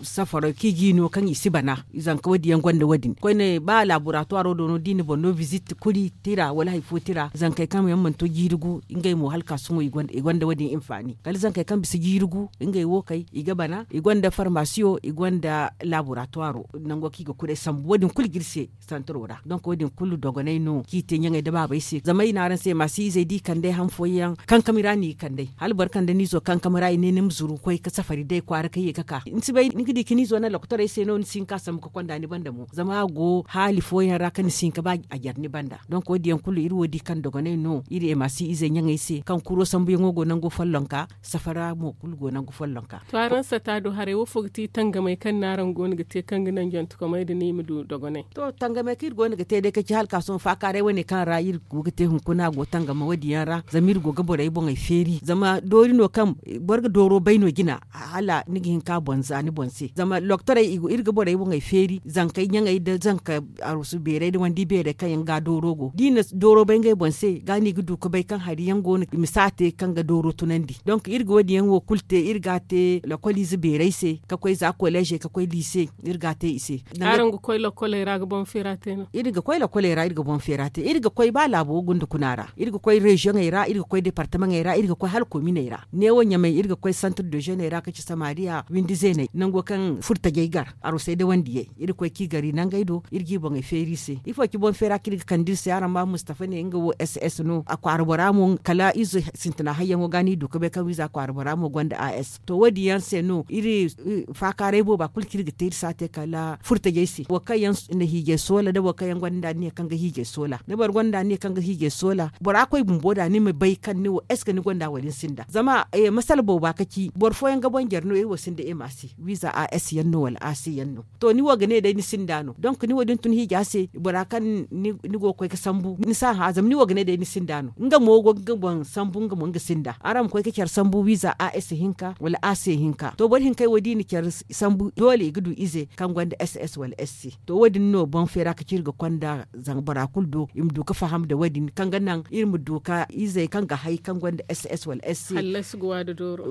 safaray kaŋ i ga i no kaŋ i si bana. Zanka wo- din yaŋ gonda wo- din koyne ba laboratuwaro do no da i na boro no bizit kuri tira wala hari fo tira zankey kaŋ yaŋ mana to jiiri gu ngey mo hala ka sohõ i gonda wo- din hinfaani kala zankey kaŋ bisa jiiri gu ngey wo kay i ga bana i gonda farmasiyo i gonda laboratuwaro nango kaŋ i ga kuray sambu wo- din kulu ga iri se santiro ra donk wo- din kulu dogonay no kaŋ i te ɲaŋey nda baabey se zama i ne araŋ se maasi izey da i kand'ey han fooyaŋ kankami ra no i kand'ey hala boro kaŋ da ni izo kankami ra i ne ni ma zuru ga koy ga safari day kwaara kaŋ ye ga ka ni si bay ni ga di ka ni izo naŋ lokotorey se no ni si hin ka sambu ga konda ni banda mo zama a go haali fooyaŋ ra kaŋ ni si hin ka ba a jare ni banda donk wo- din yaŋ kulu iri wo- din kaŋ dogonay no iri maasi izey ɲaŋey se kaŋ kuro sambuyaŋo go nangu follonka safara mo kulu go nangu follonka. To araŋ sata do haray wo fo ga ti tangamey kaŋ no araŋ go no ga te kaŋ ga naŋ jantukomey da ni ma du dogonay? To tangamey kaŋ iri go no ga te day ka ci hala ka sohõ faakaaray wane kaŋ ra iri go ga te hunkuna a go tangama wo- din yaŋ ra zama iri go ga borey boŋey feeri zama doori no kaŋ boro ga dooro bay no jina hala ni ga hin ka boŋ za ni boŋ se zama lokotorey iri ga borey boŋey feeri zankey ɲaŋey nda zanka arusu beeray nda wandi beeray kaŋ yaŋ ga dooro go da i na dooro bay ngey boŋ se ga no i ga du ga bay kaŋ hari yaŋ go no i ma si a te kaŋ ga dooro tunandi donk iri ga wo- din yaŋ wo kulu te iri ga a te lokoliize beeray se ga koy za koleezey ga koy liise iri ga a te i se. Araŋ ga koy lokoley ra ga boŋ feera te no? Iri ga koy lokoley ra iri ga boŋ feera te iri ga koy ba laabo gunda kuna ra iri ga koy reziyoŋey ra iri ga koy departamaŋey ra iri ga koy hala kominey ra neewo ɲamey iri ga koy santir de zeney ra ka ci samariya windi zeeney nango kaŋ furtajey gar arusey nda wandiyey iri ga koy kaŋ i gar i nangey do iri ga i boŋey feeri i se ifo ci boŋ feera kaŋ iri ga kande iri se araŋ ma mustafa ne nga wo s s no a kwaara bora mo kala izo sintina hayyaŋo ga no i du ga bay kaŋ wiiza kwaara bora mo gonda a s to wo- din yaŋ se no iri faakaaray booba kulu kaŋ iri ga te iri si a te kala furtajey se wo kaŋ yaŋ na hiijay soola nda wo kaŋ yaŋ gonda anniya kaŋ ga hiijay soola da boro gonda anniya kaŋ ga hiijay soola bora koy bumbo da ni ma bay kaŋ ni wo est ce que ni gonda wala ni sinda zama masala booba ka ci boro fooyaŋ ga boŋ jare no iri wo sinda ema se wiiza a s yaŋ no wala a c yaŋ no to ni wo ga ne day ni sinda no donk ni wo da ni tun hiija se bora kaŋ ni go ga koy ga sambu ni si a hã zama ni wo ga ne day ni sinda no nga mo go ga boŋ sambu nga mo nga sinda araŋ ma koy ga care sambu wiiza a s hinka wala a c hinka to boro hinkey wo da i na care sambu doole i ga du ize kaŋ gonda s s wala s c to wo- din no boŋ feera ka ci iri ga konda zanga bora kulu do i ma du ga faham nda wo- din kaŋ ga naŋ iri ma du ga izey kaŋ ga hay kaŋ gonda s s wala s c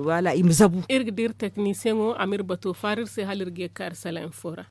wala i ma zabu iri ga dira teknisiyeŋo a ma iri bato faara iri se hala iri ga ye ga ka iri sala info ra.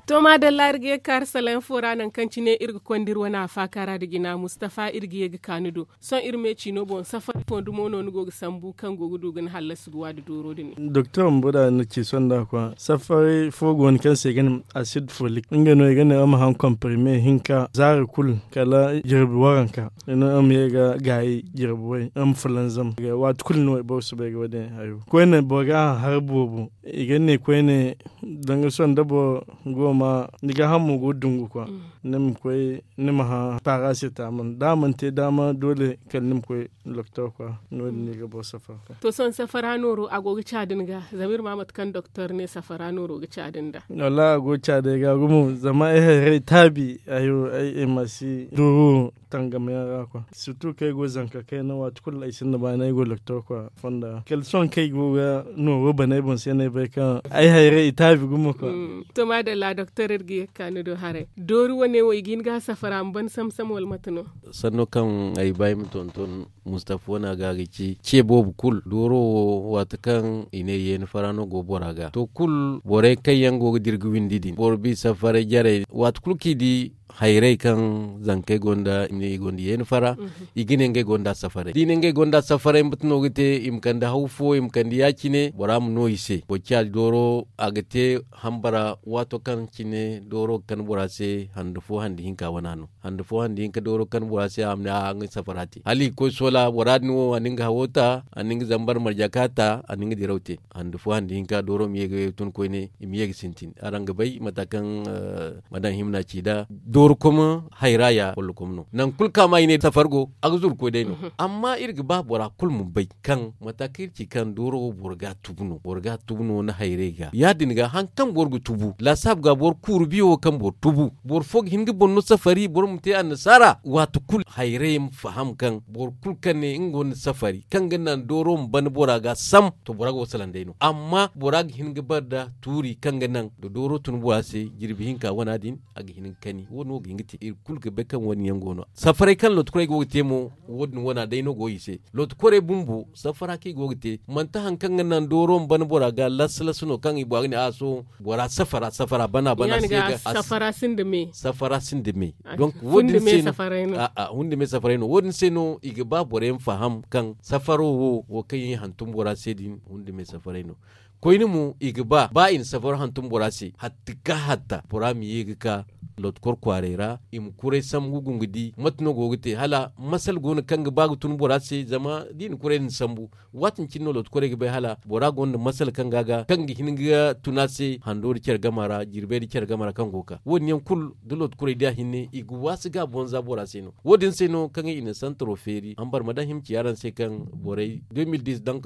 To maadalla iri ga ye ga ka iri sala info ra nangu kaŋ cine iri ga konda iri wane a faaka ra nda jina mustafa iri ga ye ga ka ni do sohõ iri me ciino boŋ safari fo dumo no ni go ga sambu kaŋ go ga du ga ni hallasi ga waadi dooro din. Doktor bumbo da ni ci sohõ nda kwa safari fo go no kaŋ se ga ne asid folik nga no i ga ne a ma haŋ komprime hinka zaari kulu kala jirbi waranka. Ni no a ma ye ga gaayi jirbi way a ma fulanzam waati kulu ni wayboro si bay ga wadin hayo koyne boro ga a haŋ hari boobo i ga ne koyne danga sohõ da boro go ma ni ga haŋ mo go dungu kwa ni ma koy ni ma hã parasitaman da a mana te daama doole kala ni ma koy doktor kwa. No- din no i ga boro safara. To sohõ safara nooro a go ga caadi ni ga zama iri ma mate kaŋ doktor ne safara nooro ga caadi nda. Wallaahi a go ga caadi ay ga gumo zama ay hayray taabi ay wo ay ma si dooro tangam yaŋ ra kwa sirtu kaŋ ay go zanka kayna waati kulu ay sinda baani ay go doktor kwa fonda kala sohõ kaŋ ay go ga nooro bana ay boŋ se no ay bay kaŋ ay hayray i taabi gumo kwa. To maadalla doktor iri ga ye ga ka ni do haray doori wane wo i ga hin ga a safara a ma ban samsam wala mate no? Sanno kaŋ ay ba ay ma tonton mustafa wane a ga ga ci ce boobo kulu dooro wo waati kaŋ i ne yeeni fara no go bora ga to kulu borey kaŋ yaŋ go ga dira ga windi din boro bi safaray jarey waati kulu kaŋ i di hayray kaŋ zankey gonda i ne i gonda yeeni fara i ga ne ngey gonda safaray da i ne ngey gonda safaray mate no ga te i ma kande haw fo i ma kande ya-cine bora ma no i se boro ciya dooro a ga te hambara waato kaŋ cine dooro ga kande bora se hande fo hande hinka wana no hande fo hande hinka dooro kaŋ bora se a ma ne a nga safara te hala i ga koy soola bora din wo a na nga hawo ta a na nga zambar marjaka ta a na nga diraw te hande fo hande hinka dooro ma ye ga tun koyne i ma ye ga sintin araŋ ga bay mata kaŋ madam himna ci nda Dooro kom hayra ya walla kom no nangu kulu kaŋ a ma i ne safari go a ga zuru koy day no. Amma iri ga ba bora kulu ma bay kaŋ mata kaŋ iri ci kaŋ dooro wo boro ga a tubu no boro ga a tubu no ni hayray ga ya- din ga hari kaŋ boro ga tubu laasaabu ga boro kuuru biyo wo kaŋ boro tubu boro fo ga hin ga boro no safari boro ma te annasaara waati kulu hayray ma faham kaŋ boro kulu kaŋ ne nga gonda safari kaŋ ga naŋ dooro ma ban bora ga sam to bora ga wasalanday no amma bora ga hin ga bar da tuuri kaŋ ga naŋ da dooro tun bora se jirbi hinka wana din a ga hin ga kani wo- din wo ga hin ga te iri kulu ga bay kaŋ wo- din yaŋ go no safaray kaŋ looti kuray go ga te mo wo- din wana day no go i se looti kuray bumbo safara kaŋ i go ga te manti hari kaŋ ga naŋ dooro ma ban bora ga lasa lasa no kaŋ i bora ga ne a sohõ bora safara safara bana bana se ga safara sinda me safara sinda me donc wo- din se no hundi me safaray no wo- din se no i ga ba borey ma faham kaŋ safaro wo wo kaŋ i hantum bora se din hundi me safaray no koyne mo i ga ba ba i na safaro hantum bora se hatta ga hatta bora ma ye ga ka lotkor kwaaray ra i ma kuray sambu ga gungudi mate no go ga te hala masal go no kaŋ ga ba ga tun bora se zama da i na kuray din sambu waati din cine no looti koray ga bay hala bora gonda masala kaŋ ga ga kaŋ ga hin ga tuna se hando da care gama ra jirbay da care gama ra kaŋ go ga ka wo- din yaŋ kulu da looti koray diya hinne i ga waasi ga bonza bora se no wo- din se no kaŋ i na santaro feeri hambar ma daŋ hima ci araŋ se kaŋ borey deux mille dix donc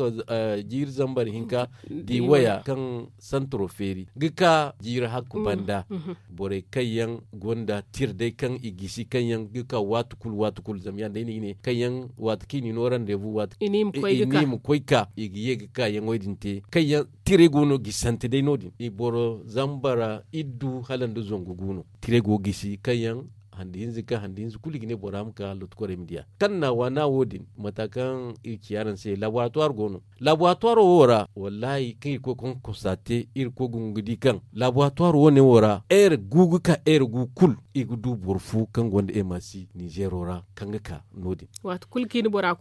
jiiri zambar hinka di waya kaŋ santaro feeri ga ka jiiri hakku banda borey kaŋ yaŋ gonda tir day kaŋ i gisi kaŋ yaŋ ga ka waati kulu waati kulu zama yaŋ day no i ne kaŋ yaŋ waati kaŋ i na i no randevu waati i ne i ma koy ga ka i ga ye ga ka yaŋo din te kaŋ yaŋ tirey go no gisante day no- din i boro zambara iddu hala nda zangu gu no tirey go gisi kaŋ yaŋ handi hinza ga ka handi hinza kulu i ga ne bora ma ka looti koray ma diya kaŋ na waana wo- din mata kaŋ i ci araŋ se laboratuwar go no laboratuwaro wo ra wallahi kaŋ irkoy konkonsa te irkoy ga hungu ga di kaŋ laboratuwaro wo- ne wo ra heure gu ga ka heure gu kulu i ga du boro fo kaŋ gonda emasi nizero ra kaŋ ga ka no- din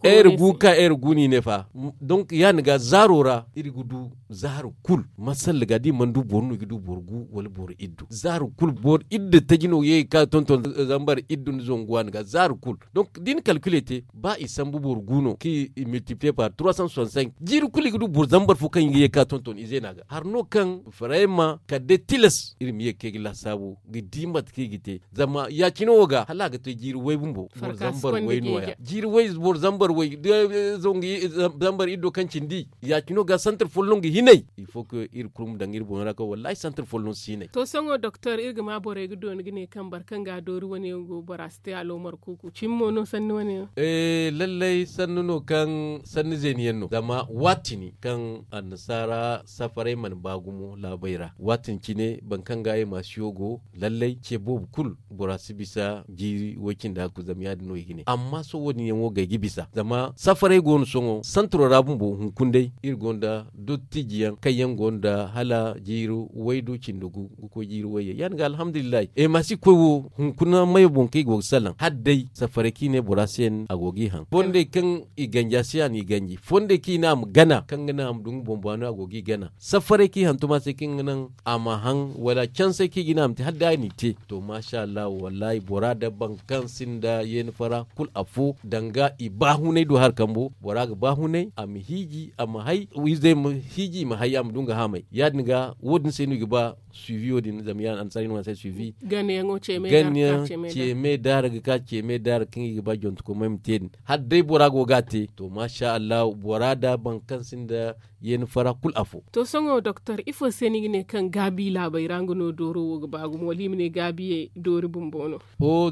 heure gu ga ka heure gu no i ne fa donc ya- din ga zaaro ra iri ga du zaaro kulu masalla ga da i mana du boro no i ga du boro gu wala boro iddu zaaro kulu boro iddu taji no ye ga ka tonton zambar iddu nda zangu waani ga zaaro kulu donc da i na kalkile te ba i sambu boro gu no kaŋ i multiplier par trois cent soixante cinq jiiri kulu i ga du boro zambar fo kaŋ i ga ye ga ka tonton i zeena ga hari no kaŋ farayma kala day tilas iri ma ye ga kay ga laasaabu ga di mate kaŋ i ga te zama ya- cine wo ga hala a ga te jiiri way bumbo boro zambar way no- ya jiiri way boro zambar way zambar iddo kaŋ cindi ya- cino ga santar folloŋ ga hinay il faut que iri kulu ma daŋ iri boŋ ra kaŋ wallahi santar folloŋ si hinay to sohõ doktor iri ga ma borey ga dooni ga ne kaŋ boro kaŋ ga a doori wane yaŋ go bora si te aloomar kuuku cimi mo no sanni wane yaŋ lallay sanni no kaŋ sanni zeeni yaŋ no zama waati ni kaŋ annasaara safaray mana ba gumo laabey ra waati ni cine boro kaŋ ga ay maasiyo go lallay ce boobo kulu bora si bisa jiiri way cindi hakku zama ya- din no i ga ne amma sohõ wo- din yaŋ wo ga ay ga bisa zama safaray go no sohõ santaro ra bumbo hunkuna day iri gonda dottijiyaŋ kaŋ yaŋ gonda hala jiiri waydu cindi gu ga koy jiiri wayye ya- din ga alhamdulillahi ay ma si koy wo hunkuna mayo boŋ kaŋ i go ga salaŋ hala day safaray kaŋ i ne bora se yaŋ a go g'i haŋ fondey kaŋ i ganji a se a n'i ganji fondey kaŋ i ne a ma gana kaŋ ga naŋ a ma du nga boŋ baano a go g'i gana safaray kaŋ i hantum a se kaŋ ga naŋ a ma haŋ wala cansey kaŋ i ga ne a ma te hala day a n'i te to maasa allahu wallahi bora da boro kaŋ sinda yeeni fara kulu afo danga i baahunay do hari kambo bora ga baahunay a ma hiiji a ma hay izey ma hiiji i ma hay a ma du nga haamay ya- din ga wo- din se no i ga ba suivi wo- din zama ya- annasaara no ga se suivi ganyaŋo ce me daara ga ka ce me daara kaŋ i ga ba jontokomey ma te din hala day bora go ga a te to maasa allahu bora da boro kaŋ sinda yeeni fara kulu afo to sohõ doktor ifo se ni ga ne kaŋ gaabi laabey ra nga no dooro wo ga ba gumo wala i ma ne gaabiyey doori bumbo no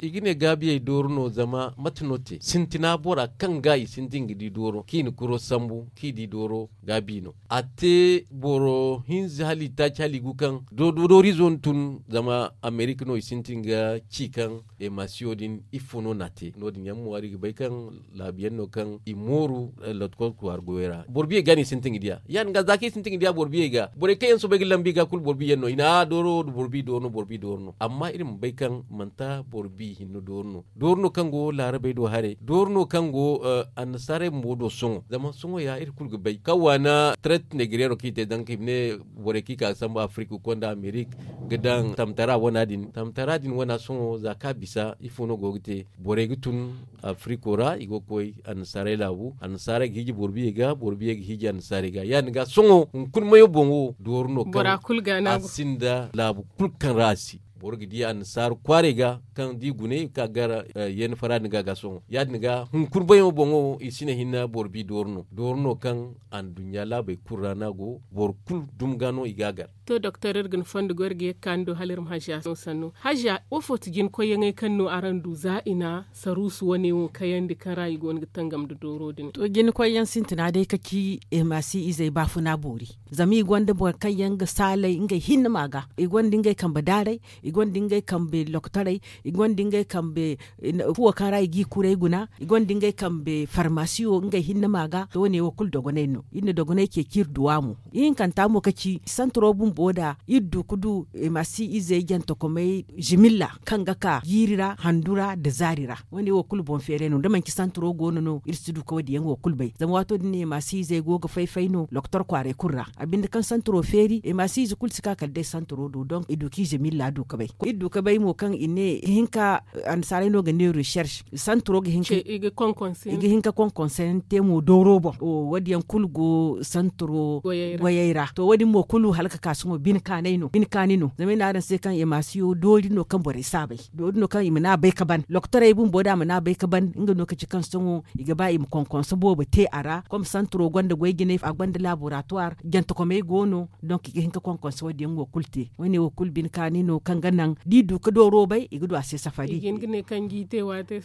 i ga ne gaabiyey dooro no zama mate no te sintina bora kaŋ ga i sintin ga di dooro kaŋ i na kuro sambu kaŋ i di dooro gaabi no a te boro hinza hala i taaci hala i gu kaŋ doorizo na tun zama amerika no i sintin ga ci kaŋ emasiyo din ifo no na a te no- din yaŋ mo hari ga bay kaŋ laabiyaŋ no kaŋ i mooru lotkol kwaara goyey ra boro biyey ga no i sintin ga diya ya- din ga za kaŋ i sintin ga diya boro biyey ga borey kaŋ yaŋ soobay ga lambu i ga kulu boro biyaŋ no i ne a dooro wo boro bi dooro no boro bi dooro no amma iri ma bay kaŋ manti boro bi hinne dooro no dooro no kaŋ go laarabey do haray dooro no kaŋ go annasaarey bumbo do sohõ zama sohõ ya iri kulu ga bay kaŋ waana tret negreero kaŋ i te zama kaŋ i ma ne borey kaŋ i ka ga sambu afirika ga konda amerik ga daŋ tamtara wana din tamtara din wana sohõ za kaŋ a bisa ifo no go ga te borey ga tun afiriko ra i go ga koy annasaarey laabu annasaarey ga hiiji boro biyey ga boro biyey ga hiiji annasaarey ga ya- din ga sohõ hunkuna mayo boŋ wo dooro no kaŋ a sinda laabu kulu kaŋ ra a si Boro ga di annasaara kwaaray ga kaŋ da i gune ka gar yeeni fara din ga ga sohõ ya- din ga hunkuna bayaŋo boŋo i si ne hinne boro bi dooru no dooru no kaŋ anduɲɲa laabey kulu ra no a go. Boro kulu dumi ga no i ga a gar. To doktor iri ga ni fondo goy iri ga ye ga ka ni do hala iri ma haziya no sannu haziya wo fo ti jina koyyaŋey kaŋ no araŋ du za i na saruusu wane wo kayandi kaŋ ra i go no ga tangam nda dooro din? To jina koyyaŋ sintina day ka ci emasi izey baafuna boori. Zama i gonda boro kaŋ yaŋ ga saalay ngey hinne ma ga i gonda ngey kambe daaray, i gonda ngey kambe lokotaray, i gonda ngey kambe fuwo kaŋ ra i g'i kuray guna, i gonda ngey kambe farmasiyo ngey hinne ma ga to wo- ne wo kulu dogonay no iri na dogonay ceeci iri duwa mo. Ihinkanta mo ka ci santaro bumbo da iri du ga du emasi izey jantakomey zimilla kaŋ ga ka jiiri ra handu ra nda zaari ra. Wo- ne wo kulu boŋ feeray no da manci santaro go no no iri si du ka wo- din yaŋ wo kulu bay zama waato din no emasi izey go ga fay fay no lokotor kwaaray kulu ra a binde kaŋ santaro feeri emasi ize kulu si ka kala day santaro do donk i du kaŋ i zimilla du ka bay iri du ka bay mo kaŋ i ne ga hin ka annasaarey no ga ne recherche santaro ga hin ka konkonse yaŋ te mo dooro boŋ. Wo- din yaŋ kulu go santaro goyey ra to wo- din mo kulu hala ga ka sohõ bine kaanay no bine kaani no zama ay ne araŋ se kaŋ emasiyo doori no kaŋ borey si a bay doori no kaŋ i mana a bay ga ban lokotorey bumbo da a mana a bay ga ban nga no ga ci kaŋ sohõ i ga ba i ma konkonse boobo te a ra kom santaro gonda goy jinay a gonda laboratuwar jantakomey go no. Donk i ga hin ga konkonse wo- din yaŋ wo kulu te wo- ne wo kulu bine kaani no kaŋ ga naŋ da i du ga dooro bay i ga du a se safari.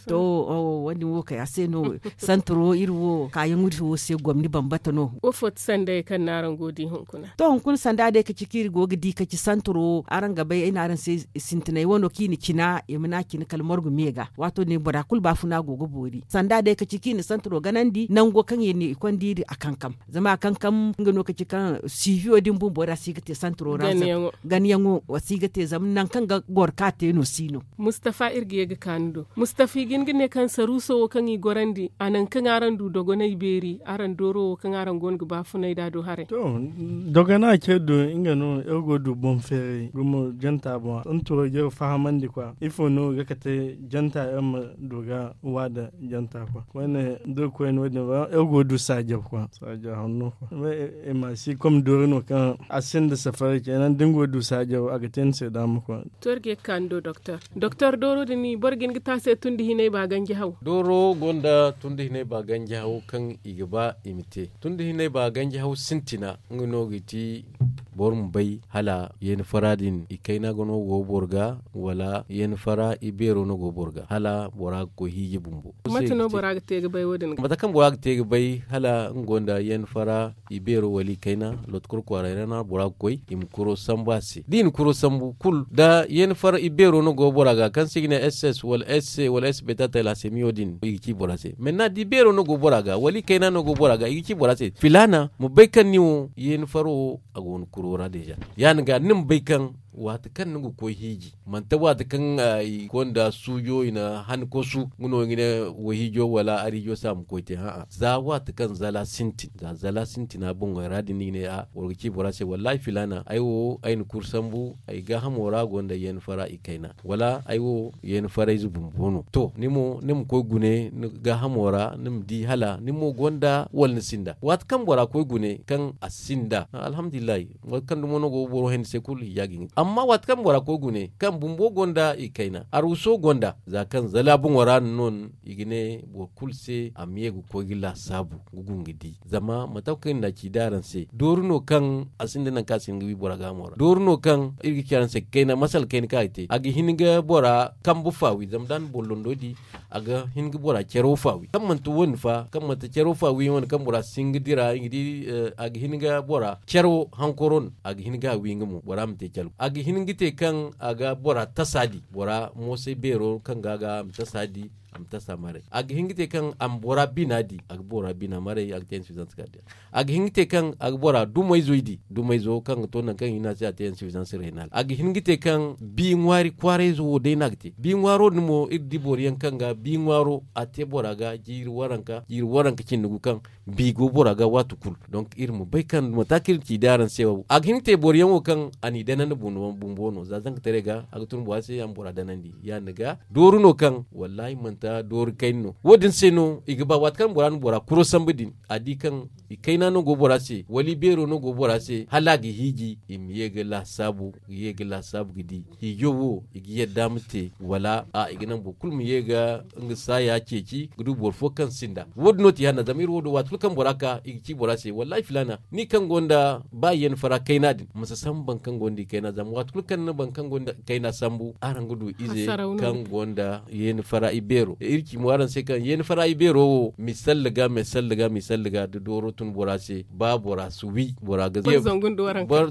To wo- din wo kay a se no santaro iri wo kaayaŋ iri wo se gomni bambata no. Wo fo ti sandayey kaŋ no araŋ go ga di hunkuna? To hunkuna sanda day ka ci kaŋ iri go ga di ka ci santaro araŋ ga bay ay ne araŋ se sintinay wano kaŋ i na cina i mana cina kala morgu me ga waato din bora kulu baafuna go ga boori sanda day ka ci kaŋ i na santaro ganandi nango kaŋ i na i konda iri a kankam zama a kankam nga no ka ci kaŋ siifiyo din bumbo da si ga te santaro ra. Ganyaŋo a si ga te zama nangu kaŋ ga goro ka te no si no. Mustafa iri ga ye ga ka ni do mustafa i ga hin ga ne kaŋ saruuso wo kaŋ i gorandi a nangu kaŋ araŋ du dogonay beeri araŋ dooro wo kaŋ araŋ go no ga baafunay nd'a do haray. Dogana care do nga no iri go ga du boŋ feeray gumo janta boŋ a santaro ga iri fahamandi kwa ifo no ga kate janta iri ma du ga wa nda janta kwa koyne da iri koyne wo- din ra iri go ga du saajaw kwa saajaw hanno kwa. Emasi kom doori no kaŋ a sinda safari kenan da ni go ga du saajaw a ga te ni se daama kwa. To iri ga ye ga ka ni do doktor doktor dooro din boro ga hin ga te a se tun da hinay ba ganji haw. Dooro gonda tun da hinay ba ganji haw kaŋ i ga ba i ma te tun da hinay ba ganji haw sintina nga no ga ti boro ma bay hala yeeni fara din i kayna ga no go boro ga wala yeeni fara i beero no go boro ga hala bora ga koy hiiji bumbo. Mate no bora ga te ga bay wo- din ga mate kaŋ bora ga te ga bay hala nga gonda yeeni fara i beero wala i kayna loto kulu kwaaray ra no bora ga koy i ma kuro sambu a se da i na kuro sambu kulu da yeeni fara i beero no go bora ga kaŋ se i ga ne ss wala ss wala ss beta talasemiyo din i ga ci bora se menne da i beero no go bora ga wala i kayna no go bora ga i ga ci bora se filaana ma bay kaŋ ni wo yeeni faro a go ni kuro ra deeza ya- din ga ni ma bay kaŋ waati kaŋ ni ga koy hiiji manti waati kaŋ i gonda suujo i na han kosu nga no i ga ne wahiijo wala ariijo se a ma koy te hã'a za waati kaŋ zala sintin za zala sintina boŋey ra din no i ga ne a boro ga ci bora se wallaahi filaana ay wo ay na kuru sambu ay gaahamo ra gonda yeeni fara i kayna wala ay wo yeeni farayze bumbo no to ni mo ni ma koy gune ni gaahamo ra ni ma di hala ni mo gonda wala ni sinda waati kaŋ bora koy gune kaŋ a sinda alhamdulillahi waati kaŋ dumo no go ga boro hayni se kulu i ya ga hin amma waati kaŋ bora koy gune kaŋ bumbo gonda i kayna arwuso gonda za kaŋ zala boŋo ra no no i ga ne boro kulu se a ma ye ga koy ga laasaabu ga guna ga di zama mate kaŋ i na ci da araŋ se dooru no kaŋ a sinda nangu kaŋ a si hin ga wi bora gaamo ra dooru no kaŋ iri ga ci araŋ se ga kayna masala kayna kaŋ a ga te a ga hin ga bora kambe faawi zama da ni boro londo di a ga hin ga bora caro faawi kaŋ manti wo- din fa kaŋ manti caro faawi wane kaŋ bora si hin ga dira i ga di a ga hin ga bora caro hankoro no a ga hin ga a wi nga mo bora ma te calo a ga hin ga te kaŋ a ga bora tasa di bora moosay beero kaŋ ga a ga a ma tasa di a ma tasa maray a ga hin ga te kaŋ a ma bora bina di a ga bora bina maray a ga te insuffisance cardiaque a ga hin ga te kaŋ a ga bora dumayzo di dumayzo kaŋ ga to nangu kaŋ i ga ne a se a te insuffisance renal a ga hin ga te kaŋ bi ŋwaari kwaarayzo wo day no a ga te bi ŋwaaro din mo iri di boro yaŋ kaŋ ga bi ŋwaaro a te bora ga jiiri waranka jiiri waranka cindi gu kaŋ bi go bora ga waati kulu donk iri ma bay kaŋ mate kaŋ iri ci day araŋ se wo a ga hin ga te boro yaŋ wo kaŋ a n'i danandi bumbo no za zankataray ga a ga tun bora se a ma bora danandi ya- din ga dooru no kaŋ wallaahi manti Doori kayna no wo- din se no i ga ba waati kaŋ bora na bora kuro sambu din, a di kaŋ i kayna no go bora se wala i beero no go bora se hala a ga hiiji i ma ye ga laasaabu ga di hiijo wo i ga yadda ma te wala a i ga naŋ boro kulu ma ye ga nga saaya ceeci ga du boro fo kaŋ sinda. Wo- din no ti hanna zama iri wo do waati kulu kaŋ bora ka i ga ci bora se wallahi filaana ni kaŋ gonda ba yeeni fara kayna din ma si sambu boro kaŋ gonda i kayna zama waati kulu kaŋ ni na boro kaŋ gonda kayna sambu araŋ ga du ize kaŋ gonda yeeni fara i beero iri ci mo araŋ se kaŋ yeeni fara i beero wo ma i salli ga ma i salli ga ma i salli ga da dooro tun bora se ba bora si wi bora ga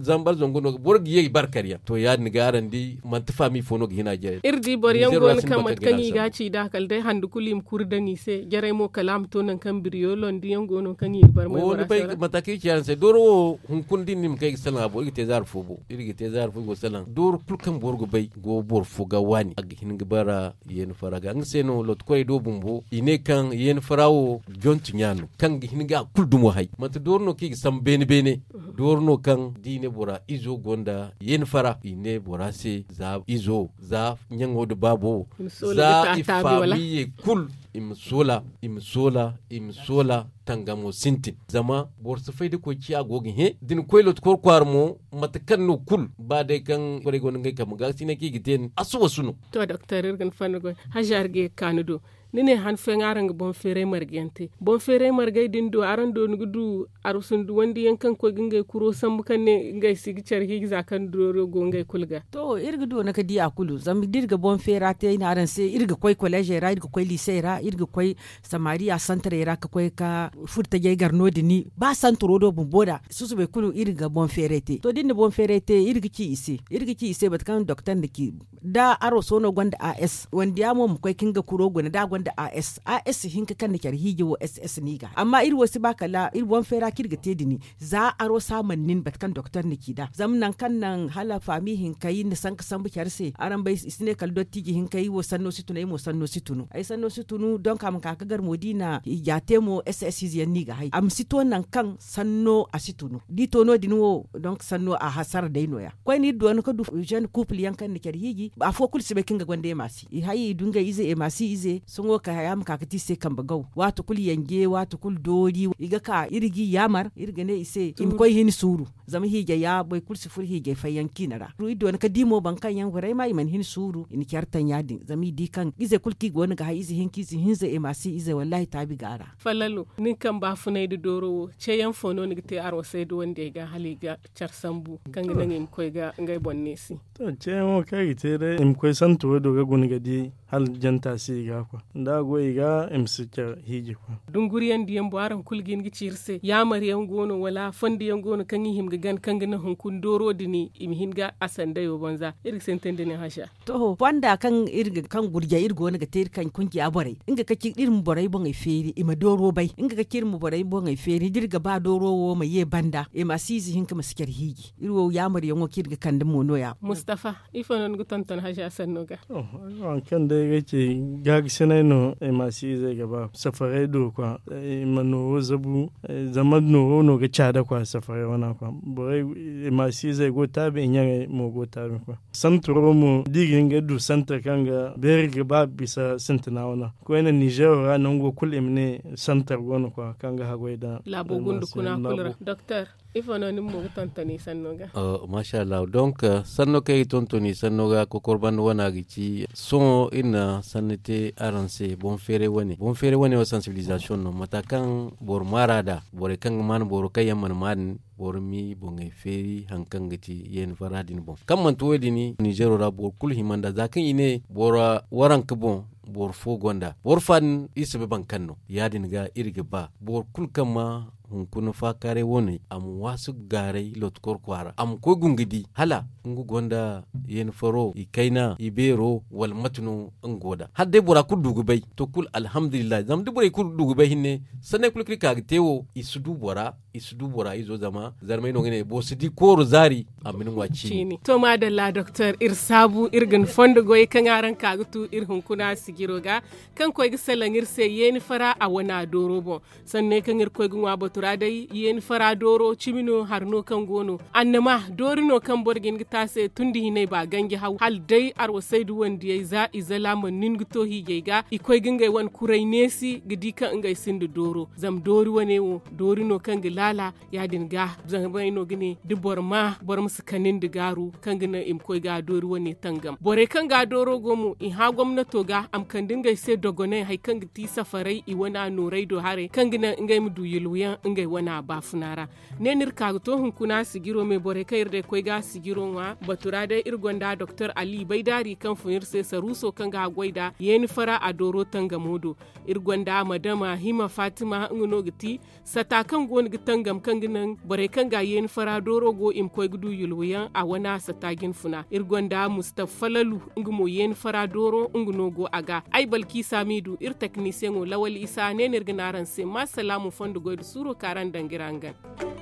zama boro ga ye i barkar yaŋ to ya- din ga araŋ di manti faami fo no ga hina jare. Iri di boro yaŋ go no kaŋ mate kaŋ i ga a ci da kala day handu kulu i ma kuri daŋ i se jarey mo kala a ma to nangu kaŋ biriyo londi yaŋ go no kaŋ i ga bar may bora se. Mate kaŋ i ci araŋ se dooro wo hunkuna da i na ni ma kay ga salaŋ a boŋ iri ga te zaari fo boŋ iri ga te zaari fo i go salaŋ dooro kulu kaŋ boro ga bay go boro fo ga waani a ga hin ga bara yeeni fara ga nga se no lotti koyey do bumbo i ne kaŋ yeeni fara wo jontu ɲa no kaŋ ga hin ga a kulu dumo hay manti dooro no kaŋ i ga sambu beene beene. Dooro no kaŋ da i ne bora izo gonda yeeni fara i ne bora se za izo za ɲaŋo nda baabo za i faamiye kulu i ma soola i ma soola i ma soola tangamo sintin zama boro si fay da koy ciya go ga hẽ da ni koy lotti koy kwaara mo mate kaŋ no kulu ba day kaŋ borey gonda ngey kambe ga si ne kaŋ i ga te ni a si wasu no. To doktor iri ga ni fanda goy haža iri ga ye ga ka ni do. Ni ne han fooyaŋ araŋ ga boŋ feeray marga yaŋ te boŋ feeray margey din do araŋ do ni ga du arwasu nda wandi yaŋ kaŋ ga koy ga ngey kuro sambu kaŋ ne ngey si ga care hiiji za kaŋ dooro go ngey kulu ga. To iri ga doona ga di a kulu zama da iri ga boŋ feera te ay ne araŋ se iri ga koy koleezey ra iri ga koy liisey ra iri ga koy samariya santarey ra ga koy ga furo tajey gar no- din ba santaro do bumbo da susubey kulu iri ga boŋ feeray te to da iri na boŋ feeray te iri ga ci i se mate kaŋ doktor na ci da aro sohõ no gonda a s wande yaŋ mo ma koy ga nga kuro guna da a gonda a s a s hinka kaŋ na care hiiji wo s s no i ga amma iri wo si ba kala iri boŋ feera kaŋ iri ga te din za aro si a mana nin mate kaŋ doktor na ci nd'a zama nangu kaŋ naŋ hala faami hinkey na sanka sambu care se araŋ bay i si ne kala dottiiji hinkey wo sanno si tunu ay mo sanno si tunu ay sanno si tunu donk a ma ka ga gar mo da i na hija te mo s s ize yaŋ no i ga hay a ma si to nangu kaŋ sanno a si tunu da i to no- din wo donk sanno a hasara day no- ya koyne iri doona ga du jeune couple yaŋ kaŋ na care hiiji afo kulu si bay kaŋ ga gonda emasi i hay i du ngey ize emasi ize sohõ kay haya ma ka ga te i se kambe gaw waati kulu yanje waati kulu doori i ga ka iri g'i yaamar iri ga ne i se i ma koy hini suuru zama hiijay ya boro kulu si furo hiijay fayyaŋ ciine ra iri doona ga di mo boro kaŋ yaŋ waray ma i mana hini suuru i na care taŋ ya- din zama i di kaŋ ize kulu kaŋ i go no ga hay ize hinka ize hinza emasi ize wallahi taabi ga a ra. Fallalo nin kaŋ baafunay nda dooro wo ceeyaŋ fo no ni ga te arwasey nda wandey ga hala i ga care sambu kaŋ ga naŋ i ma koy ga ngey boŋ neesi? To ceeyaŋo kaŋ i ga te day i ma koy santo wo do ga guna ga di hala janta si i ga kwa da a go i ga i ma si care hiiji kwa. Dunguriyaŋ diyaŋ bo araŋ kulu ga hin ga ci iri se yaamar yaŋ go no wala fondo yaŋ go no kaŋ i hima ga gana kaŋ ga naŋ hunkuna dooro din i ma hin ga a sandayo banza iri ga sintin da nin hasa. To fonda kaŋ iri ga kaŋ gurjay iri go no ga te iri kaŋ kungiya borey nga ga ci iri ma borey boŋey feeri i ma dooro bay nga ga ci iri ma borey boŋey feeri da iri ga ba dooro wo ma ye banda i ma si ize hinka ma si care hiiji iri wo yaamar yaŋo kaŋ iri ga kande mo no- ya. Mustafa ifo no ni ga tonton haza sanno ga? Waŋ kaŋ day ga ci gaagasinay no i ma si izey ga ba safaray do kwa i ma nooro zabu zama nooro no ga caada kwa safaray wana kwa borey i ma si izey go taabi i ɲaŋey mo go taabi kwa. Santaro mo da i ga hin ga du santar kaŋ ga beeri ga ba bisa sintina wana koyne nizeero ra nango kulu i ma ne santar go no kwa kaŋ ga haggoy da laabo gundu kuna kulu ra doktor. Ifo no ni mo ga tonton i sanno ga? Masha allahu donk sanno kaŋ i ga tonton i sanno ga kokor banda wana ga ci sohõ iri na sanni te araŋ se boŋ feeray wane boŋ feeray wane wo sansibilizasiyoŋ no mata kaŋ boro maara da borey kaŋ ga maana boro kaŋ yaŋ mana maadin boro ma i boŋey feeri hari kaŋ ga ti yeeni fara din boŋ kaŋ manti wo- din ninzeero ra boro kulu hima nd'a za kaŋ i ne boro waranka boŋ boro fo gonda boro fa din iri si bay boro kaŋ no ya- din ga iri ga ba boro kulu kaŋ ma hunkuna faakaaray wane a ma waasu gaaray lotti korkwa ra a ma koy gungu di hala nga gonda yeeni faro i kayna i beero wala mate no nga go nd'a hala day bora kulu du ga bay to kulu alhamdulillahi zama da borey kulu du ga bay hinne sanney kulu kaŋ iri ka ga te wo i si du bora i si du bora izo zama zarmey no ga ne boro si di kooro zaari a ma ni ŋwa ciini. To maadalla doktor iri saabu iri ga ni fondo goy kaŋ araŋ ka ga tu iri hunkuna sijiro ga kaŋ koy ga salaŋ iri se yeeni fara a wana dooro boŋ. Sanney kaŋ iri koy ga ŋwa boro batura day yeeni fara dooro cimi no hari no kaŋ go no annama doori no kaŋ boro ga hin ga te a se tun da hinay ba ganji haw hala day arwasay da wandiyey za i zala mana nin ga to hiijay ga i koy ga ngey wane kuray neesi ga di kaŋ ngey sinda dooro zama doori wane wo doori no kaŋ ga laala. Ya- din ga zamey no ga ne da boro ma boro ma si kani nda gaaru kaŋ ga naŋ i ma koy ga doori wane tangam borey kaŋ ga dooro go mo i hã gomnato ga a ma kande ngey se dogonay hari kaŋ ga ti safaray i wane nooray do haray kaŋ ga naŋ ngey ma du yulwayaŋ ngey wane baafuna ra. Ne no iri ka ga to hunkuna sijiro me borey kaŋ iri day koy ga sijiro ŋwa batura day iri gonda doktor ali baydaari kaŋ fun iri se saruuso kaŋ ga haggoy nd'a yeeni fara a dooro tangamo do. Iri gonda madama hima fatima nga no ga ti sata kaŋ go no ga tangam kaŋ ga naŋ borey kaŋ ga yeeni fara dooro go i ma koy ga du yulwayaŋ a wane sata jinfuna iri gonda mustafa falalu nga mo yeeni fara dooro nga no go a ga ay balki saamiidu iri teknisiyeŋo lawal isa ne no iri ga ne araŋ se ma salaamu fondo goy nda suuro kaŋ araŋ daŋ ga iri hangan.